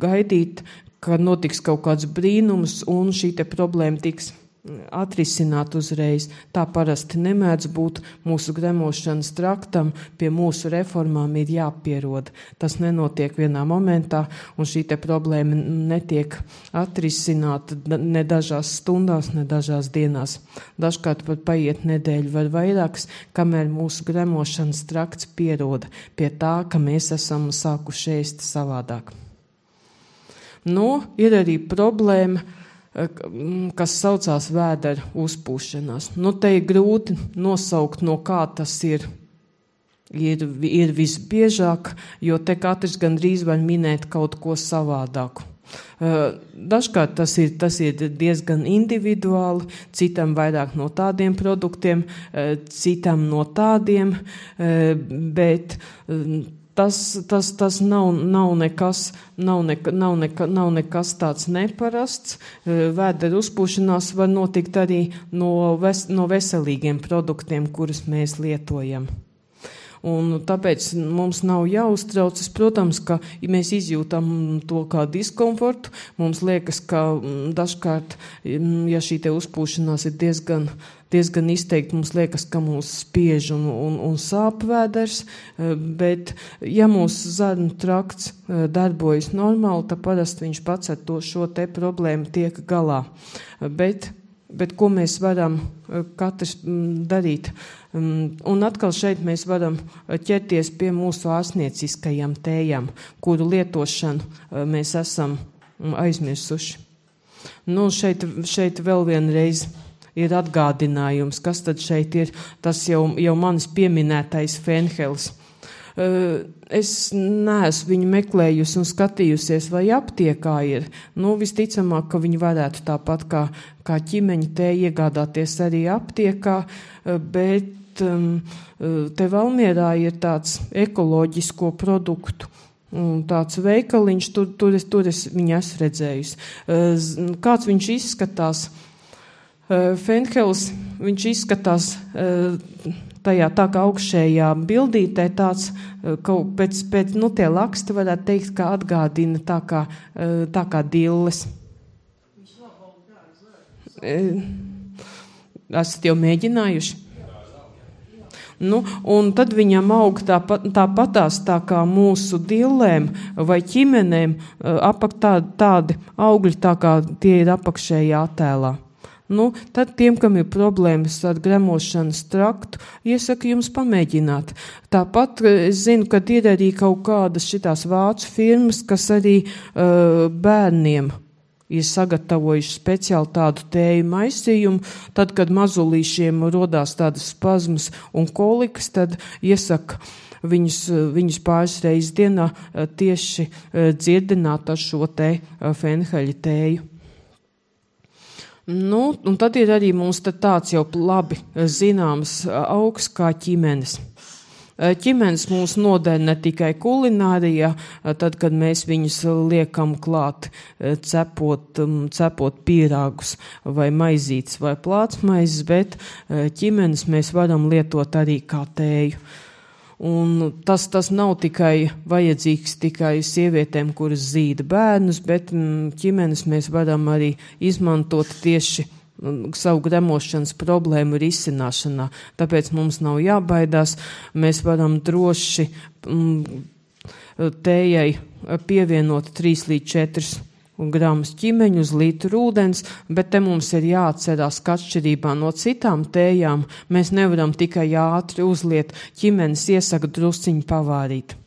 gaidīt, ka notiks kaut kāds brīnums un šī te problēma tiks atrisināt uzreiz. Tā parasti nemēdz būt. Mūsu gremošanas traktam pie mūsu reformām ir jāpierod. Tas nenotiek vienā momentā, un šī te problēma netiek atrisināta ne dažās stundās, ne dažās dienās. Dažkārt pat paiet nedēļu vai vairākas, kamēr mūsu gremošanas trakts pieroda pie tā, ka mēs esam sākuši ēst savādāk. Ir arī problēma, kas saucās vēdera uzpūšanās. Te ir grūti nosaukt, no kā tas ir visbiežāk, jo te katrs gandrīz var minēt kaut ko savādāku. Dažkārt tas ir diezgan individuāli, citam vairāk no tādiem produktiem, citam no tādiem, bet tas nav nekas tāds neparasts. Vēdera uzpūšanās var notikt arī no veselīgiem produktiem, kurus mēs lietojam. Un tāpēc mums nav jāuztraucas. Protams, ka mēs izjūtam to kā diskomfortu. Mums liekas, ka dažkārt, ja šī te uzpūšanās ir diezgan izteikti, mums liekas, ka mūs spiež un sāp vēders, bet ja mūsu zarnu trakts darbojas normāli, tad parasti viņš pats ar šo te problēmu tiek galā. Bet ko mēs varam katrs darīt? Un atkal šeit mēs varam ķerties pie mūsu ārstnieciskajām tējām, kuru lietošanu mēs esam aizmirsuši. Šeit vēl vienreiz ir atgādinājums, kas tad šeit ir. Tas jau manis pieminētais fenhels. Es neesmu viņu meklējusi un skatījusies, vai aptiekā ir. Visticamāk, ka viņi varētu tāpat kā ķimeņa tēju iegādāties arī aptiekā, bet te Valmierā ir tāds ekoloģisko produktu tāds veikaliņš, tur es viņu esmu redzējusi. Kāds viņš izskatās? Fenhels, viņš izskatās tajā tā kā augšējā bildītē tāds, pēc tie laksti varētu teikt, ka atgādina tā kā dilles. Esat jau mēģinājuši? Un tad viņam aug tāpatās tā kā mūsu dillēm vai ķimenēm tādi augļi, tā kā tie ir apakšējā attēlā. Tad tiem, kam ir problēmas ar gremošanas traktu, iesaku jums pamēģināt. Tāpat es zinu, ka ir arī kaut kādas šitās vācu firmas, kas arī bērniem ir sagatavojuši speciāli tādu tēju maisījumu. Tad, kad mazulīšiem rodās tādas spazmas un kolikas, tad iesaka viņus pāris reizes dienā tieši dzirdināt ar šo te fenheļa tēju. Un tad ir arī mums tāds jau labi zināms augs kā ķimenes. Ķimenes mūs noder ne tikai kulinārijā, tad, kad mēs viņus liekam klāt, cepot pīrāgus vai maizītes vai plātsmaizes, bet ķimenes mēs varam lietot arī kā tēju. Un tas nav tikai vajadzīgs tikai sievietēm, kuras zīda bērnus, bet ķimenes mēs varam arī izmantot tieši savu gremošanas problēmu risināšanā. Tāpēc mums nav jābaidās, mēs varam droši tējai pievienot 3 līdz 4 gramus ķimeņu uz litru ūdens, bet te mums ir jāatcerās, ka atšķirībā no citām tējām mēs nevaram tikai ātri uzliet, ķimenes iesaka drusciņu pavārīt.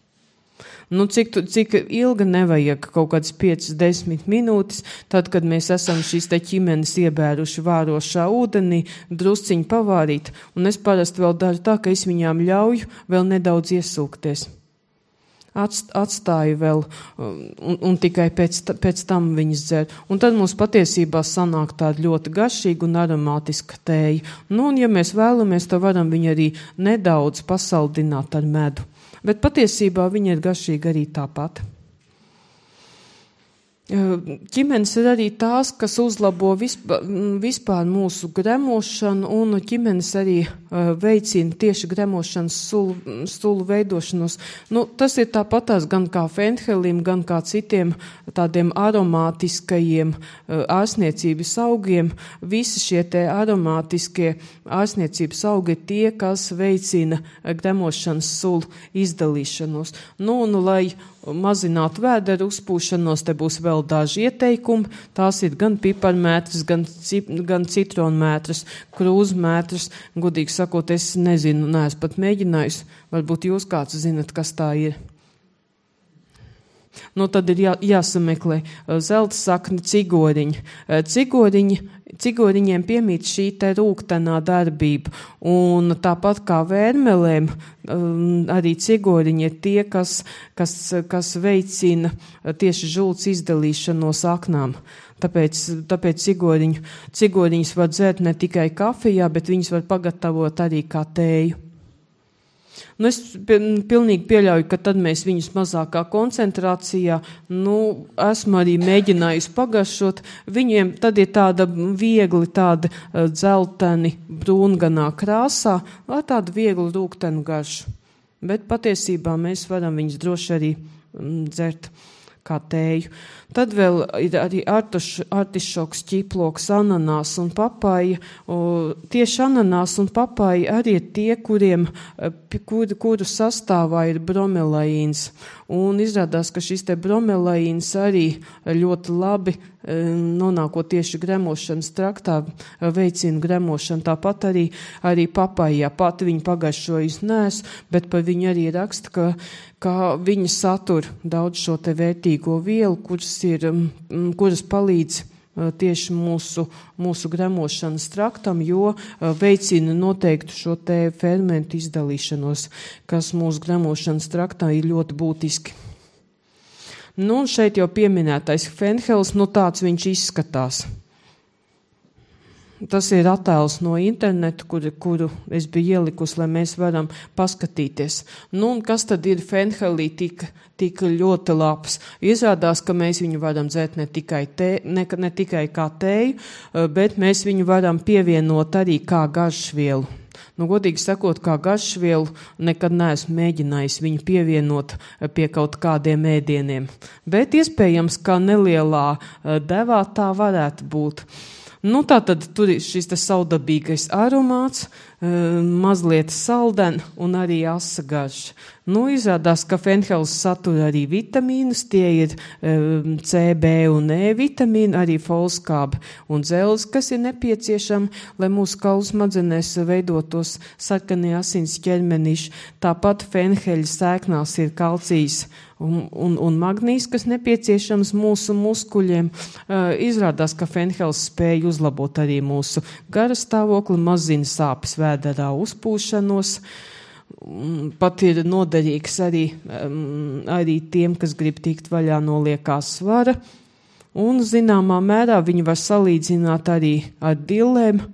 Cik ilga nevajag, kaut kādas 5-10 minūtes, tad, kad mēs esam šīs te ķimenes iebēruši vārošā ūdenī, drusciņu pavārīt, un es parasti vēl daru tā, ka es viņām ļauju vēl nedaudz iesūkties. Atstāju vēl, un tikai pēc tam viņas dzer. Un tad mums patiesībā sanāk tāda ļoti garšīga un aromātiska tēja. Un ja mēs vēlamies, tad varam viņu arī nedaudz pasaldināt ar medu. Bet patiesībā viņa ir garšīga arī tāpat. Ķimenes ir arī tās, kas uzlabo vispār mūsu gremošanu, un ķimenes arī veicina tieši gremošanas sulu veidošanos. Tas ir tāpatās gan kā fenhelim, gan kā citiem tādiem aromātiskajiem ārstniecības augiem. Visi šie te aromātiskie ārstniecības augi ir tie, kas veicina gremošanas sulu izdalīšanos. Un lai mazināt vēderu uzpūšanos, te būs vēl daži ieteikumi. Tās ir gan piparmētras, gan citronmētras, krūzmētras. Godīgi sakot, es nezinu, neesmu pat mēģinājusi. Varbūt jūs kāds zinat, kas tā ir. Tad ir jāsameklē zelta sakni cigoriņi. Cigoriņiem piemīt šī te rūgtenā darbība, un tāpat kā vērmelēm, arī cigoriņi ir tie, kas veicina tieši žults izdalīšanos aknām. Tāpēc cigoriņus var dzert ne tikai kafijā, bet viņus var pagatavot arī kā tēju. Es pilnīgi pieļauju, ka tad mēs viņus mazākā koncentrācijā, esmu arī mēģinājusi pagaršot. Viņiem tad ir tāda viegli, tāda dzelteni, brūnganā krāsā, vai tāda viegli rūgtenu garšu. Bet patiesībā mēs varam viņus droši arī dzert kā tēju. Tad vēl ir arī artišoks, ķiploks, ananās un papaja. Tieši ananās un papaja arī ir tie, kuru sastāvā ir bromelaīns. Un izrādās, ka šis te bromelaīns arī ļoti labi nonākot tieši gremošanas traktā veicina gremošanu. Tāpat arī papajā. Pati viņa pagaršojusi neesmu, bet par viņu arī raksta, ka viņa satur daudz šo te vērtīgo vielu, kuras palīdz tieši mūsu gremošanas traktam, jo veicina noteiktu šo te fermentu izdalīšanos, kas mūsu gremošanas traktā ir ļoti būtiski. Un šeit jau pieminētais fenhels, tāds viņš izskatās. Tas ir attēls no interneta, kuru es biju ielikusi, lai mēs varam paskatīties. Un kas tad ir fenhelī tik ļoti labs? Izrādās, ka mēs viņu varam dzert ne tikai kā tēju, bet mēs viņu varam pievienot arī kā garšvielu. Godīgi sakot, kā garšvielu nekad neesmu mēģinājis viņu pievienot pie kaut kādiem ēdieniem. Bet iespējams, ka nelielā devā tā varētu būt. Tātad tur ir šis te saudabīgais aromāts, mazliet salden un arī asa garša. Izrādās, ka fenhels satur arī vitamīnus, tie ir C, B un E vitamīni, arī folskābi un dzelzi, kas ir nepieciešami, lai mūsu kaulu smadzenēs veidotos sarkanie asins ķermenīši. Tāpat fenheļa sēknās ir kalcijs un magnīs, kas nepieciešams mūsu muskuļiem. Izrādās, ka fenhels spēj uzlabot arī mūsu garas stāvokli, mazina sāpes vēderā uzpūšanos. Pat ir noderīgs arī tiem, kas grib tikt vaļā no liekās svara. Un zināmā mērā viņi var salīdzināt arī ar dillēm.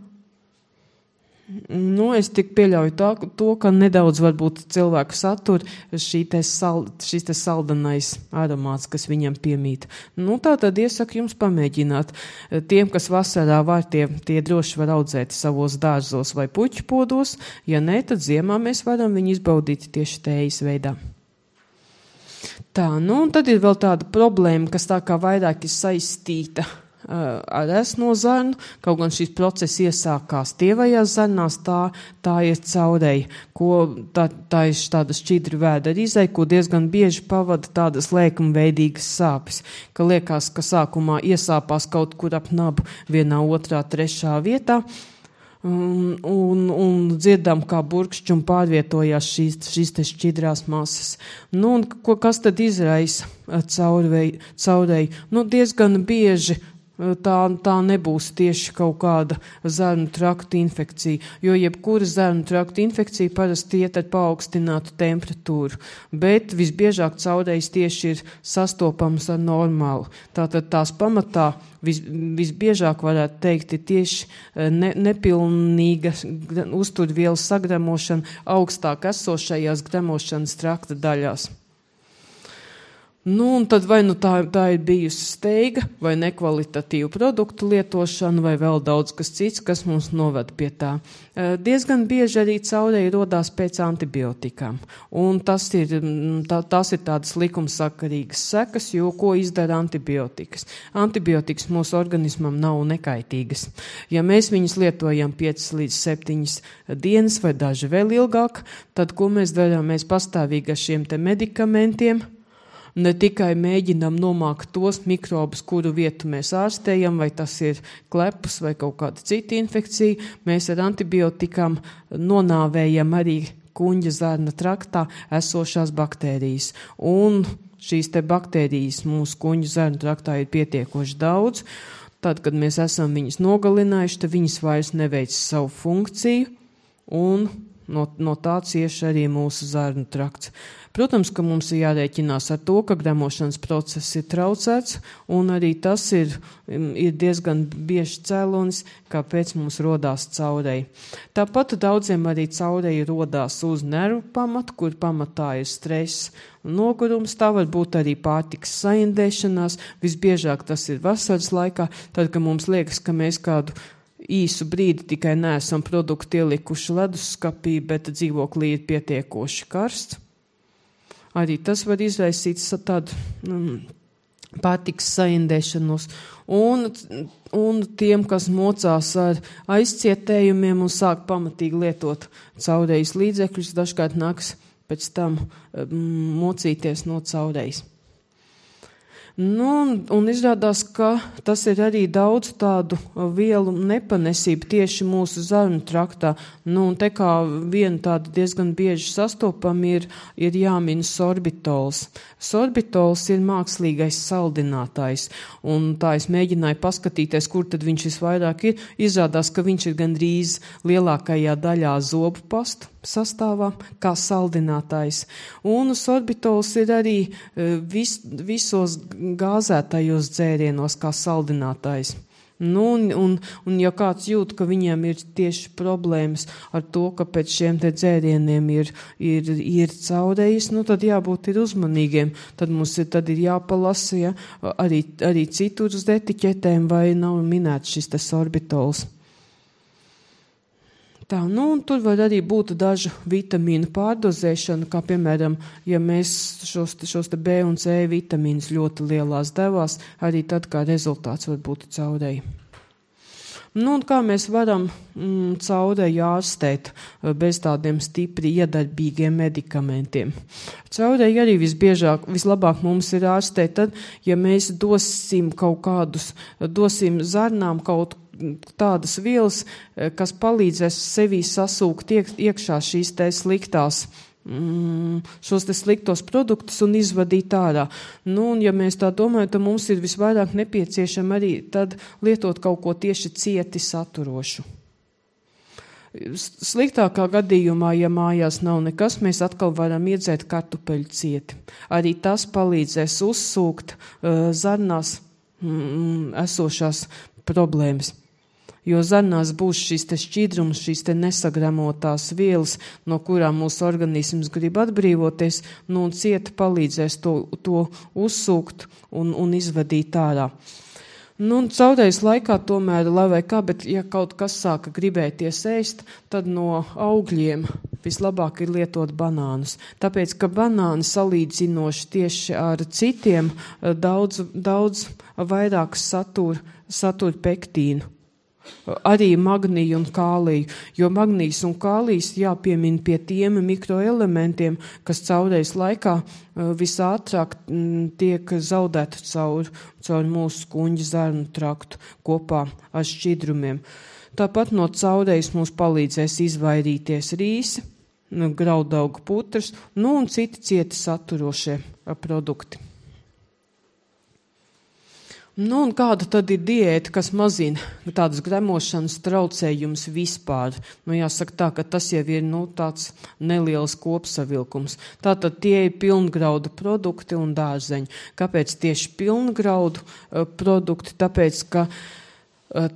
Es tik pieļauju to, ka nedaudz varbūt cilvēku satur šis te saldanais aromāts, kas viņam piemīt. Tā tad iesaku jums pamēģināt. Tiem, kas vasarā var, tie droši var audzēt savos dārzos vai puķu podos. Ja nē, tad ziemā mēs varam viņu izbaudīt tieši tējas veidā. Un tad ir vēl tāda problēma, kas tā kā vairāk ir saistīta ar esno zarnu, kaut gan šis process iesākās tievajās zarnās, tā ir caurei, tā ir tāda šķidra vēdera izei, ko diezgan bieži pavada tādas lēkumveidīgas sāpes, ka liekas, ka sākumā iesāpās kaut kur ap nabu vienā, otrā, trešā vietā, un dzirdam, kā burkšķi un pārvietojās šīs te šķidrās masas. Nu, un kas tad izraisa caurei? Nu, diezgan bieži tā nebūs tieši kaut kāda zarnu traktu infekcija, jo jebkura zarnu traktu infekcija parasti iet ar paaugstinātu temperatūru, bet visbiežāk caurejas tieši ir sastopams ar normālu. Tātad tās pamatā visbiežāk varētu teikt ir tieši nepilnīga uzturvielas sagremošana augstāk esošajās gremošanas trakta daļās. Nu, un tad vai nu tā ir bijusi steiga, vai nekvalitatīva produktu lietošana, vai vēl daudz kas cits, kas mums noved pie tā. Diezgan bieži arī caureja rodās pēc antibiotikām, un tās ir tādas likumsakarīgas sekas, jo ko izdara antibiotikas? Antibiotikas mūsu organismam nav nekaitīgas. Ja mēs viņus lietojam 5 līdz 7 dienas vai daži vēl ilgāk, tad ko mēs darām? Mēs pastāvīgi ar šiem te medikamentiem ne tikai mēģinām nomākt tos mikrobus, kuru vietu mēs ārstējam, vai tas ir klepus vai kaut kāda cita infekcija, mēs ar antibiotikām nonāvējam arī kuņģa zarna traktā esošās baktērijas. Un šīs te baktērijas mūsu kuņģa zarna traktā ir pietiekoši daudz. Tad, kad mēs esam viņas nogalinājuši, tad viņas vairs neveic savu funkciju, un no tā cieši arī mūsu zarnu trakts. Protams, ka mums ir jārēķinās ar to, ka gremošanas process ir traucēts, un arī tas ir diezgan bieži cēlonis, kāpēc mums rodās caureja. Tāpat daudziem arī caureja rodās uz nervu pamatu, kur pamatā ir stress un nogurums, tā var būt arī pārtikas saindēšanās, visbiežāk tas ir vasaras laikā, tad, kad mums liekas, ka mēs kādu īsu brīdi tikai neesam produktu ielikuši leduskapī, bet dzīvoklī ir pietiekoši karsts. Arī tas var izraisīt tādu pārtikas saindēšanos. Un tiem, kas mocās ar aizcietējumiem un sāk pamatīgi lietot caurejas līdzekļus, dažkārt nāks pēc tam mocīties no caurejas. Nu, un izrādās, ka tas ir arī daudz tādu vielu nepanesību tieši mūsu zarnu traktā. Nu, un te kā viena tāda diezgan bieži sastopama ir jāmin sorbitols. Sorbitols ir mākslīgais saldinātājs, un tā es mēģināju paskatīties, kur tad viņš visvairāk ir. Izrādās, ka viņš ir gandrīz lielākajā daļā zobu pastu sastāvā, kā saldinātājs. Un sorbitols ir arī visos gāzētajos dzērienos, kā saldinātājs. Nu, un ja kāds jūt, ka viņiem ir tieši problēmas ar to, ka pēc šiem te dzērieniem ir caurejas, nu tad jābūt ir uzmanīgiem. Tad mums ir jāpalasa, ja, arī citur uz etiķetēm, vai nav minēts šis te sorbitols. Tā, nu, un tur var arī būt dažu vitamīnu pārdozēšana, kā piemēram, ja mēs šos te B un C vitamīnus ļoti lielās devās, arī tad kā rezultāts var būt caureja. Nu, un kā mēs varam caureju ārstēt bez tādiem stipri iedarbīgiem medikamentiem? Caureju arī vislabāk mums ir ārstēt tad, ja mēs dosim zarnām kaut tādas vielas, kas palīdzēs sevī sasūkt iekšā šīs te šos te sliktos produktus un izvadīt ārā. Nu, un ja mēs tā domājam, tad mums ir visvairāk nepieciešama arī tad lietot kaut ko tieši cieti saturošu. Sliktākā gadījumā, ja mājās nav nekas, mēs atkal varam iedzēt kartupeļu cieti. Arī tas palīdzēs uzsūkt zarnās esošās problēmas. Jo zarnās būs šīs te šķidrums, šīs te nesagremotās vielas, no kurām mūsu organisms grib atbrīvoties, nu un cieta palīdzēs to uzsūkt un izvadīt ārā. Nu, un caurējas laikā tomēr, lai vai kā, bet ja kaut kas sāka gribēties ēst, tad no augļiem vislabāk ir lietot banānus. Tāpēc, ka banāni salīdzinoši tieši ar citiem daudz vairāk satur pektīnu. Arī magniju un kāliju, jo magnijs un kālijs jāpiemina pie tiem mikroelementiem, kas caurējas laikā visātrāk tiek zaudēti caur mūsu kuņģa zarnu traktu kopā ar šķidrumiem. Tāpat no caurējas mums palīdzēs izvairīties rīsi, graudaugu putras, un citi cieti saturošie produkti. Un kāda tad ir diēta, kas mazina tādas gremošanas traucējumus vispār? Jāsaka tā, ka tas jau ir tāds neliels kopsavilkums. Tātad tie ir pilngraudu produkti un dārzeņi. Kāpēc tieši pilngraudu produkti? Tāpēc, ka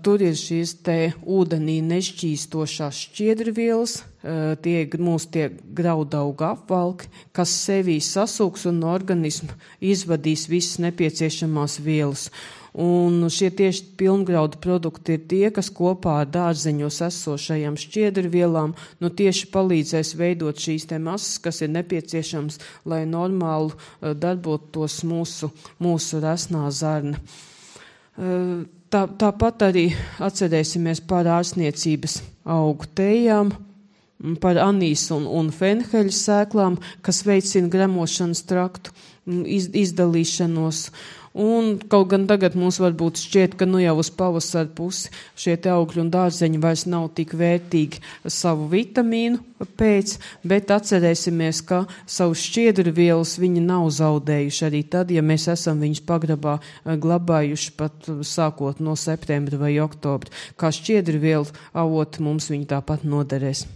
tur ir šīs te ūdenī nešķīstošās šķiedrvielas, tie graudauga apvalki, kas sevī sasūks un no organisma izvadīs visas nepieciešamās vielas. Un šie tieši pilngraudu produkti ir tie, kas kopā ar dārzeņos esošajām šķiedrvielām tieši palīdzēs veidot šīs te masas, kas ir nepieciešams, lai normāli darbotos mūsu resnā zarna. Tāpat arī atcerēsimies par ārstniecības augu tējām, par anīsu un fenheļu sēklām, kas veicina gremošanas traktu izdalīšanos. Un kaut gan tagad mums varbūt šķiet, ka jau uz pavasara pusi šie te augļi un dārzeņi vairs nav tik vērtīgi savu vitamīnu pēc, bet atcerēsimies, ka savus šķiedrvielas viņi nav zaudējuši arī tad, ja mēs esam viņus pagrabā glabājuši pat sākot no septembra vai oktobra. Kā šķiedrvielu avoti mums viņi tāpat noderēs.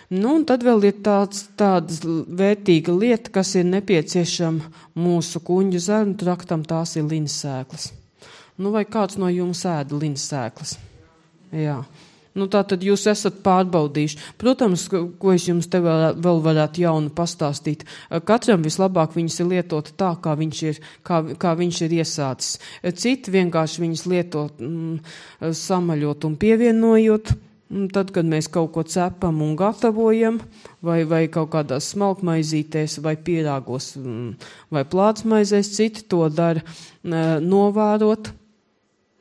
Un tad vēl ir tāda vērtīga lieta, kas ir nepieciešama mūsu kuņģa zarnu traktam, tās ir linsēklas. Vai kāds no jums ēda linsēklas? Jā. Tātad jūs esat pārbaudījuši. Protams, ko es jums te vēl varētu jaunu pastāstīt. Katram vislabāk viņas ir lietot tā, kā viņš ir iesācis. Citi vienkārši viņas lietot samaļot un pievienojot. Tad, kad mēs kaut ko cepam un gatavojam, vai kaut kādās smalkmaizītēs, vai pierāgos, vai plātsmaizēs, citi to dara novārot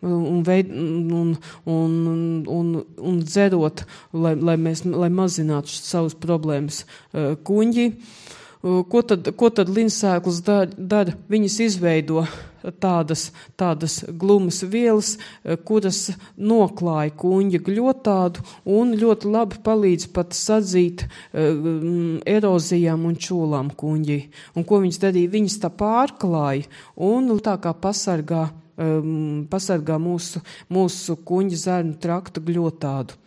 un dzerot, lai mazinātu savas problēmas kuņģi. Ko tad linsēklas dara? Viņas izveido tādas glumas vielas, kuras noklāja kuņģa gļotādu un ļoti labi palīdz pat sadzīt erozijām un čūlām kuņģī. Un ko viņas darīja? Viņas tā pārklāja un tā kā pasargā mūsu kuņģa zarnu traktu gļotādu.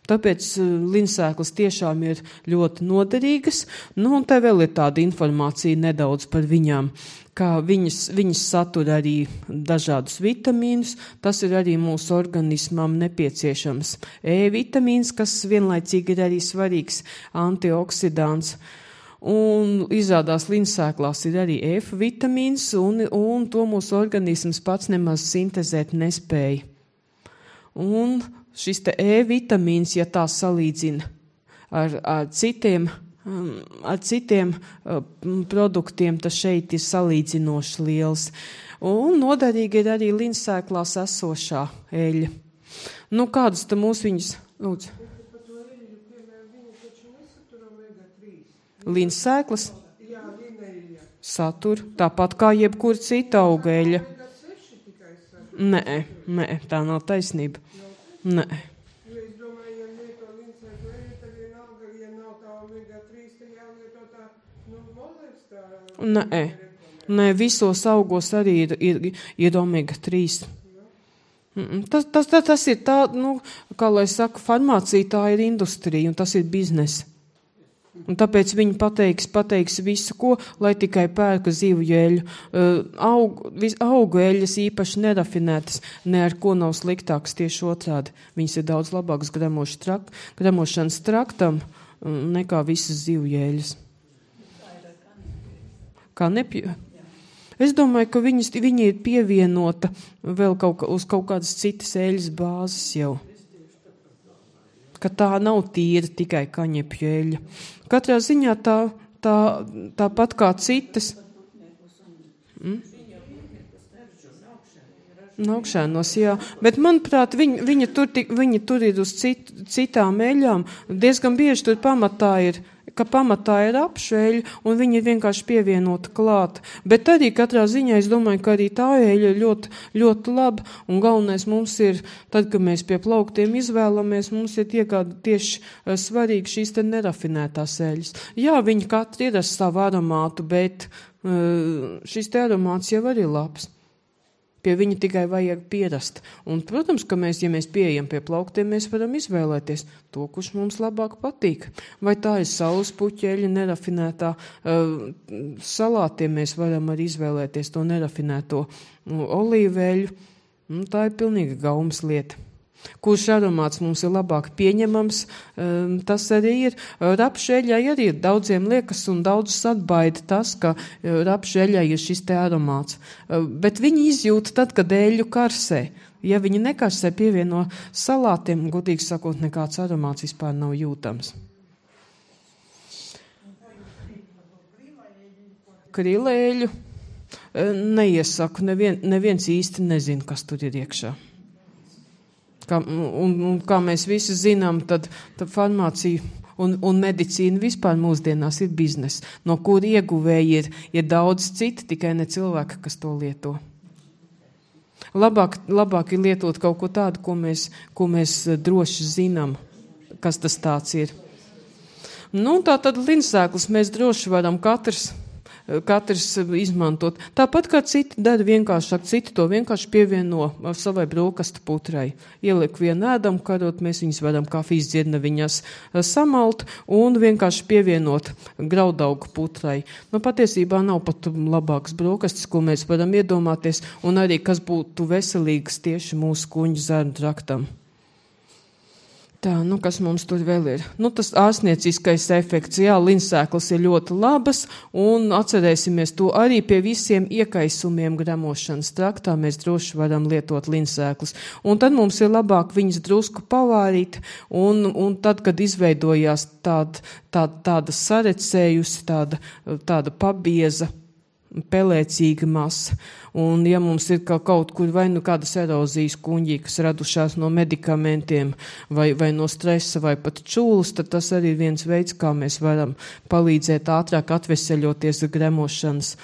Tāpēc linsēklas tiešām ir ļoti noderīgas, un te vēl ir tāda informācija nedaudz par viņām, kā viņas satur arī dažādus vitamīnus, tas ir arī mūsu organismam nepieciešams E-vitamīns, kas vienlaicīgi ir arī svarīgs antioksidants. Un izrādās linsēklās ir arī F-vitamīns, un to mūsu organisms pats nemaz sintezēt nespēja. Un šis te E-vitamīns, ja tā salīdzina ar citiem produktiem, tas šeit ir salīdzinoši liels. Un noderīgi ir arī linsēklās esošā eļļa. Kādas te mūsu viņas? Lūdzu. Linsēklas? Satur, tāpat kā jebkur cita auga eļļa. Nē, tā nav taisnība. Nē. Es domāju, ja lieto linsēklu eļļu, tad vienalga, ja nav tā omega-3, tad jālieto tā, moleks tā. Nē, visos augos arī ir omega-3. Tas ir tā, kā lai saka, farmācija tā ir industrija un tas ir biznesa. Un tāpēc viņi pateiks visu, ko, lai tikai pērka zivju eļļu. Augu eļļas īpaši nerafinētas, ne ar ko nav sliktāks, tieši otrādi. Viņas ir daudz labākas gremošanas traktam nekā visas zivju eļļas. Kā nepju? Es domāju, ka viņi ir pievienota vēl uz kaut kādas citas eļas bāzes jau. Ka tā nav tīra tikai kaņepju eļa. Katrā ziņā tāpat kā citas. Augšēnos, jā. Bet, manuprāt, viņi tur ir uz citām eļām. Diezgan bieži tur pamatā ir apšeļa, un viņi ir vienkārši pievienota klāt. Bet arī katrā ziņā es domāju, ka arī tā eļa ir ļoti, ļoti laba, un galvenais mums ir, tad, kad mēs pie plauktiem izvēlamies, mums ir tieši svarīgi šīs te nerafinētās eļas. Jā, viņi katri ir ar savu aromātu, bet šis te aromāts jau arī labs. Pie viņa tikai vajag pierast. Un, protams, ka ja mēs pieejam pie plauktiem, mēs varam izvēlēties to, kurš mums labāk patīk. Vai tā ir saules puķeļa, nerafinētā salātiem mēs varam arī izvēlēties to nerafinēto olīveļu. Tā ir pilnīgi gaumas lieta. Kurš aromāts mums ir labāk pieņemams, tas arī ir. Rapšeļai arī daudziem liekas un daudzus atbaida tas, ka rapšeļai ir šis te aromāts. Bet viņi izjūt tad, kad eļu karsē. Ja viņi nekarsē pievieno salātiem, godīgi sakot, nekāds aromāts vispār nav jūtams. Krilēļu neiesaku, neviens īsti nezina, kas tur ir iekšā. Kā mēs visi zinām, tad farmācija un medicīna vispār mūsdienās ir biznes, no kur ieguvēji ir daudz citi, tikai ne cilvēki, kas to lieto. Labāk ir lietot kaut ko tādu, ko mēs droši zinām, kas tas tāds ir. Tā tad linsēklis mēs droši varam katrs izmantot. Tāpat kā citi dara vienkāršāk, citi to vienkārši pievieno savai brokastu putrai. Ieliek vienu ēdamu karot, mēs viņus varam kafijas dzirnaviņās samalt un vienkārši pievienot graudaugu putrai. Patiesībā nav pat labāks brokastis, ko mēs varam iedomāties, un arī kas būtu veselīgs tieši mūsu kuņģu zarnu traktam. Tā, kas mums tur vēl ir? Tas ārstnieciskais efekts. Jā, linsēklis ir ļoti labas, un atcerēsimies to arī pie visiem iekaisumiem gremošanas traktā. Mēs droši varam lietot linsēklis. Un tad mums ir labāk viņas drusku pavārīt, un tad, kad izveidojās tāda sarecējusi, tāda pabieza, pelēcīga masa. Un ja mums ir kaut kur vai kādas erozijas kuņģī, kas radušās no medikamentiem vai no stresa vai pat čūlas, tad tas arī ir viens veids, kā mēs varam palīdzēt ātrāk atveseļoties gremošanas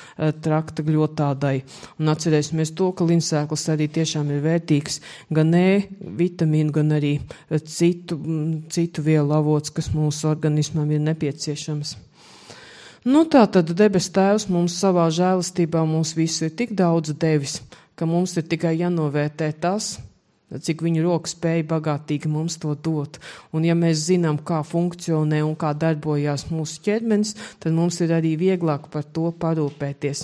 trakta gļotādai. Un atcerēsimies to, ka linsēklis arī tiešām ir vērtīgs gan vitamīnu, gan arī citu vielu avots, kas mūsu organismam ir nepieciešams. Tā tad debes Tēvs mums savā žēlastībā mums visu ir tik daudz devis, ka mums ir tikai jānovērtē tas, cik viņa roka spēja bagātīgi mums to dot. Un ja mēs zinām, kā funkcionē un kā darbojās mūsu ķermenis, tad mums ir arī vieglāk par to parūpēties.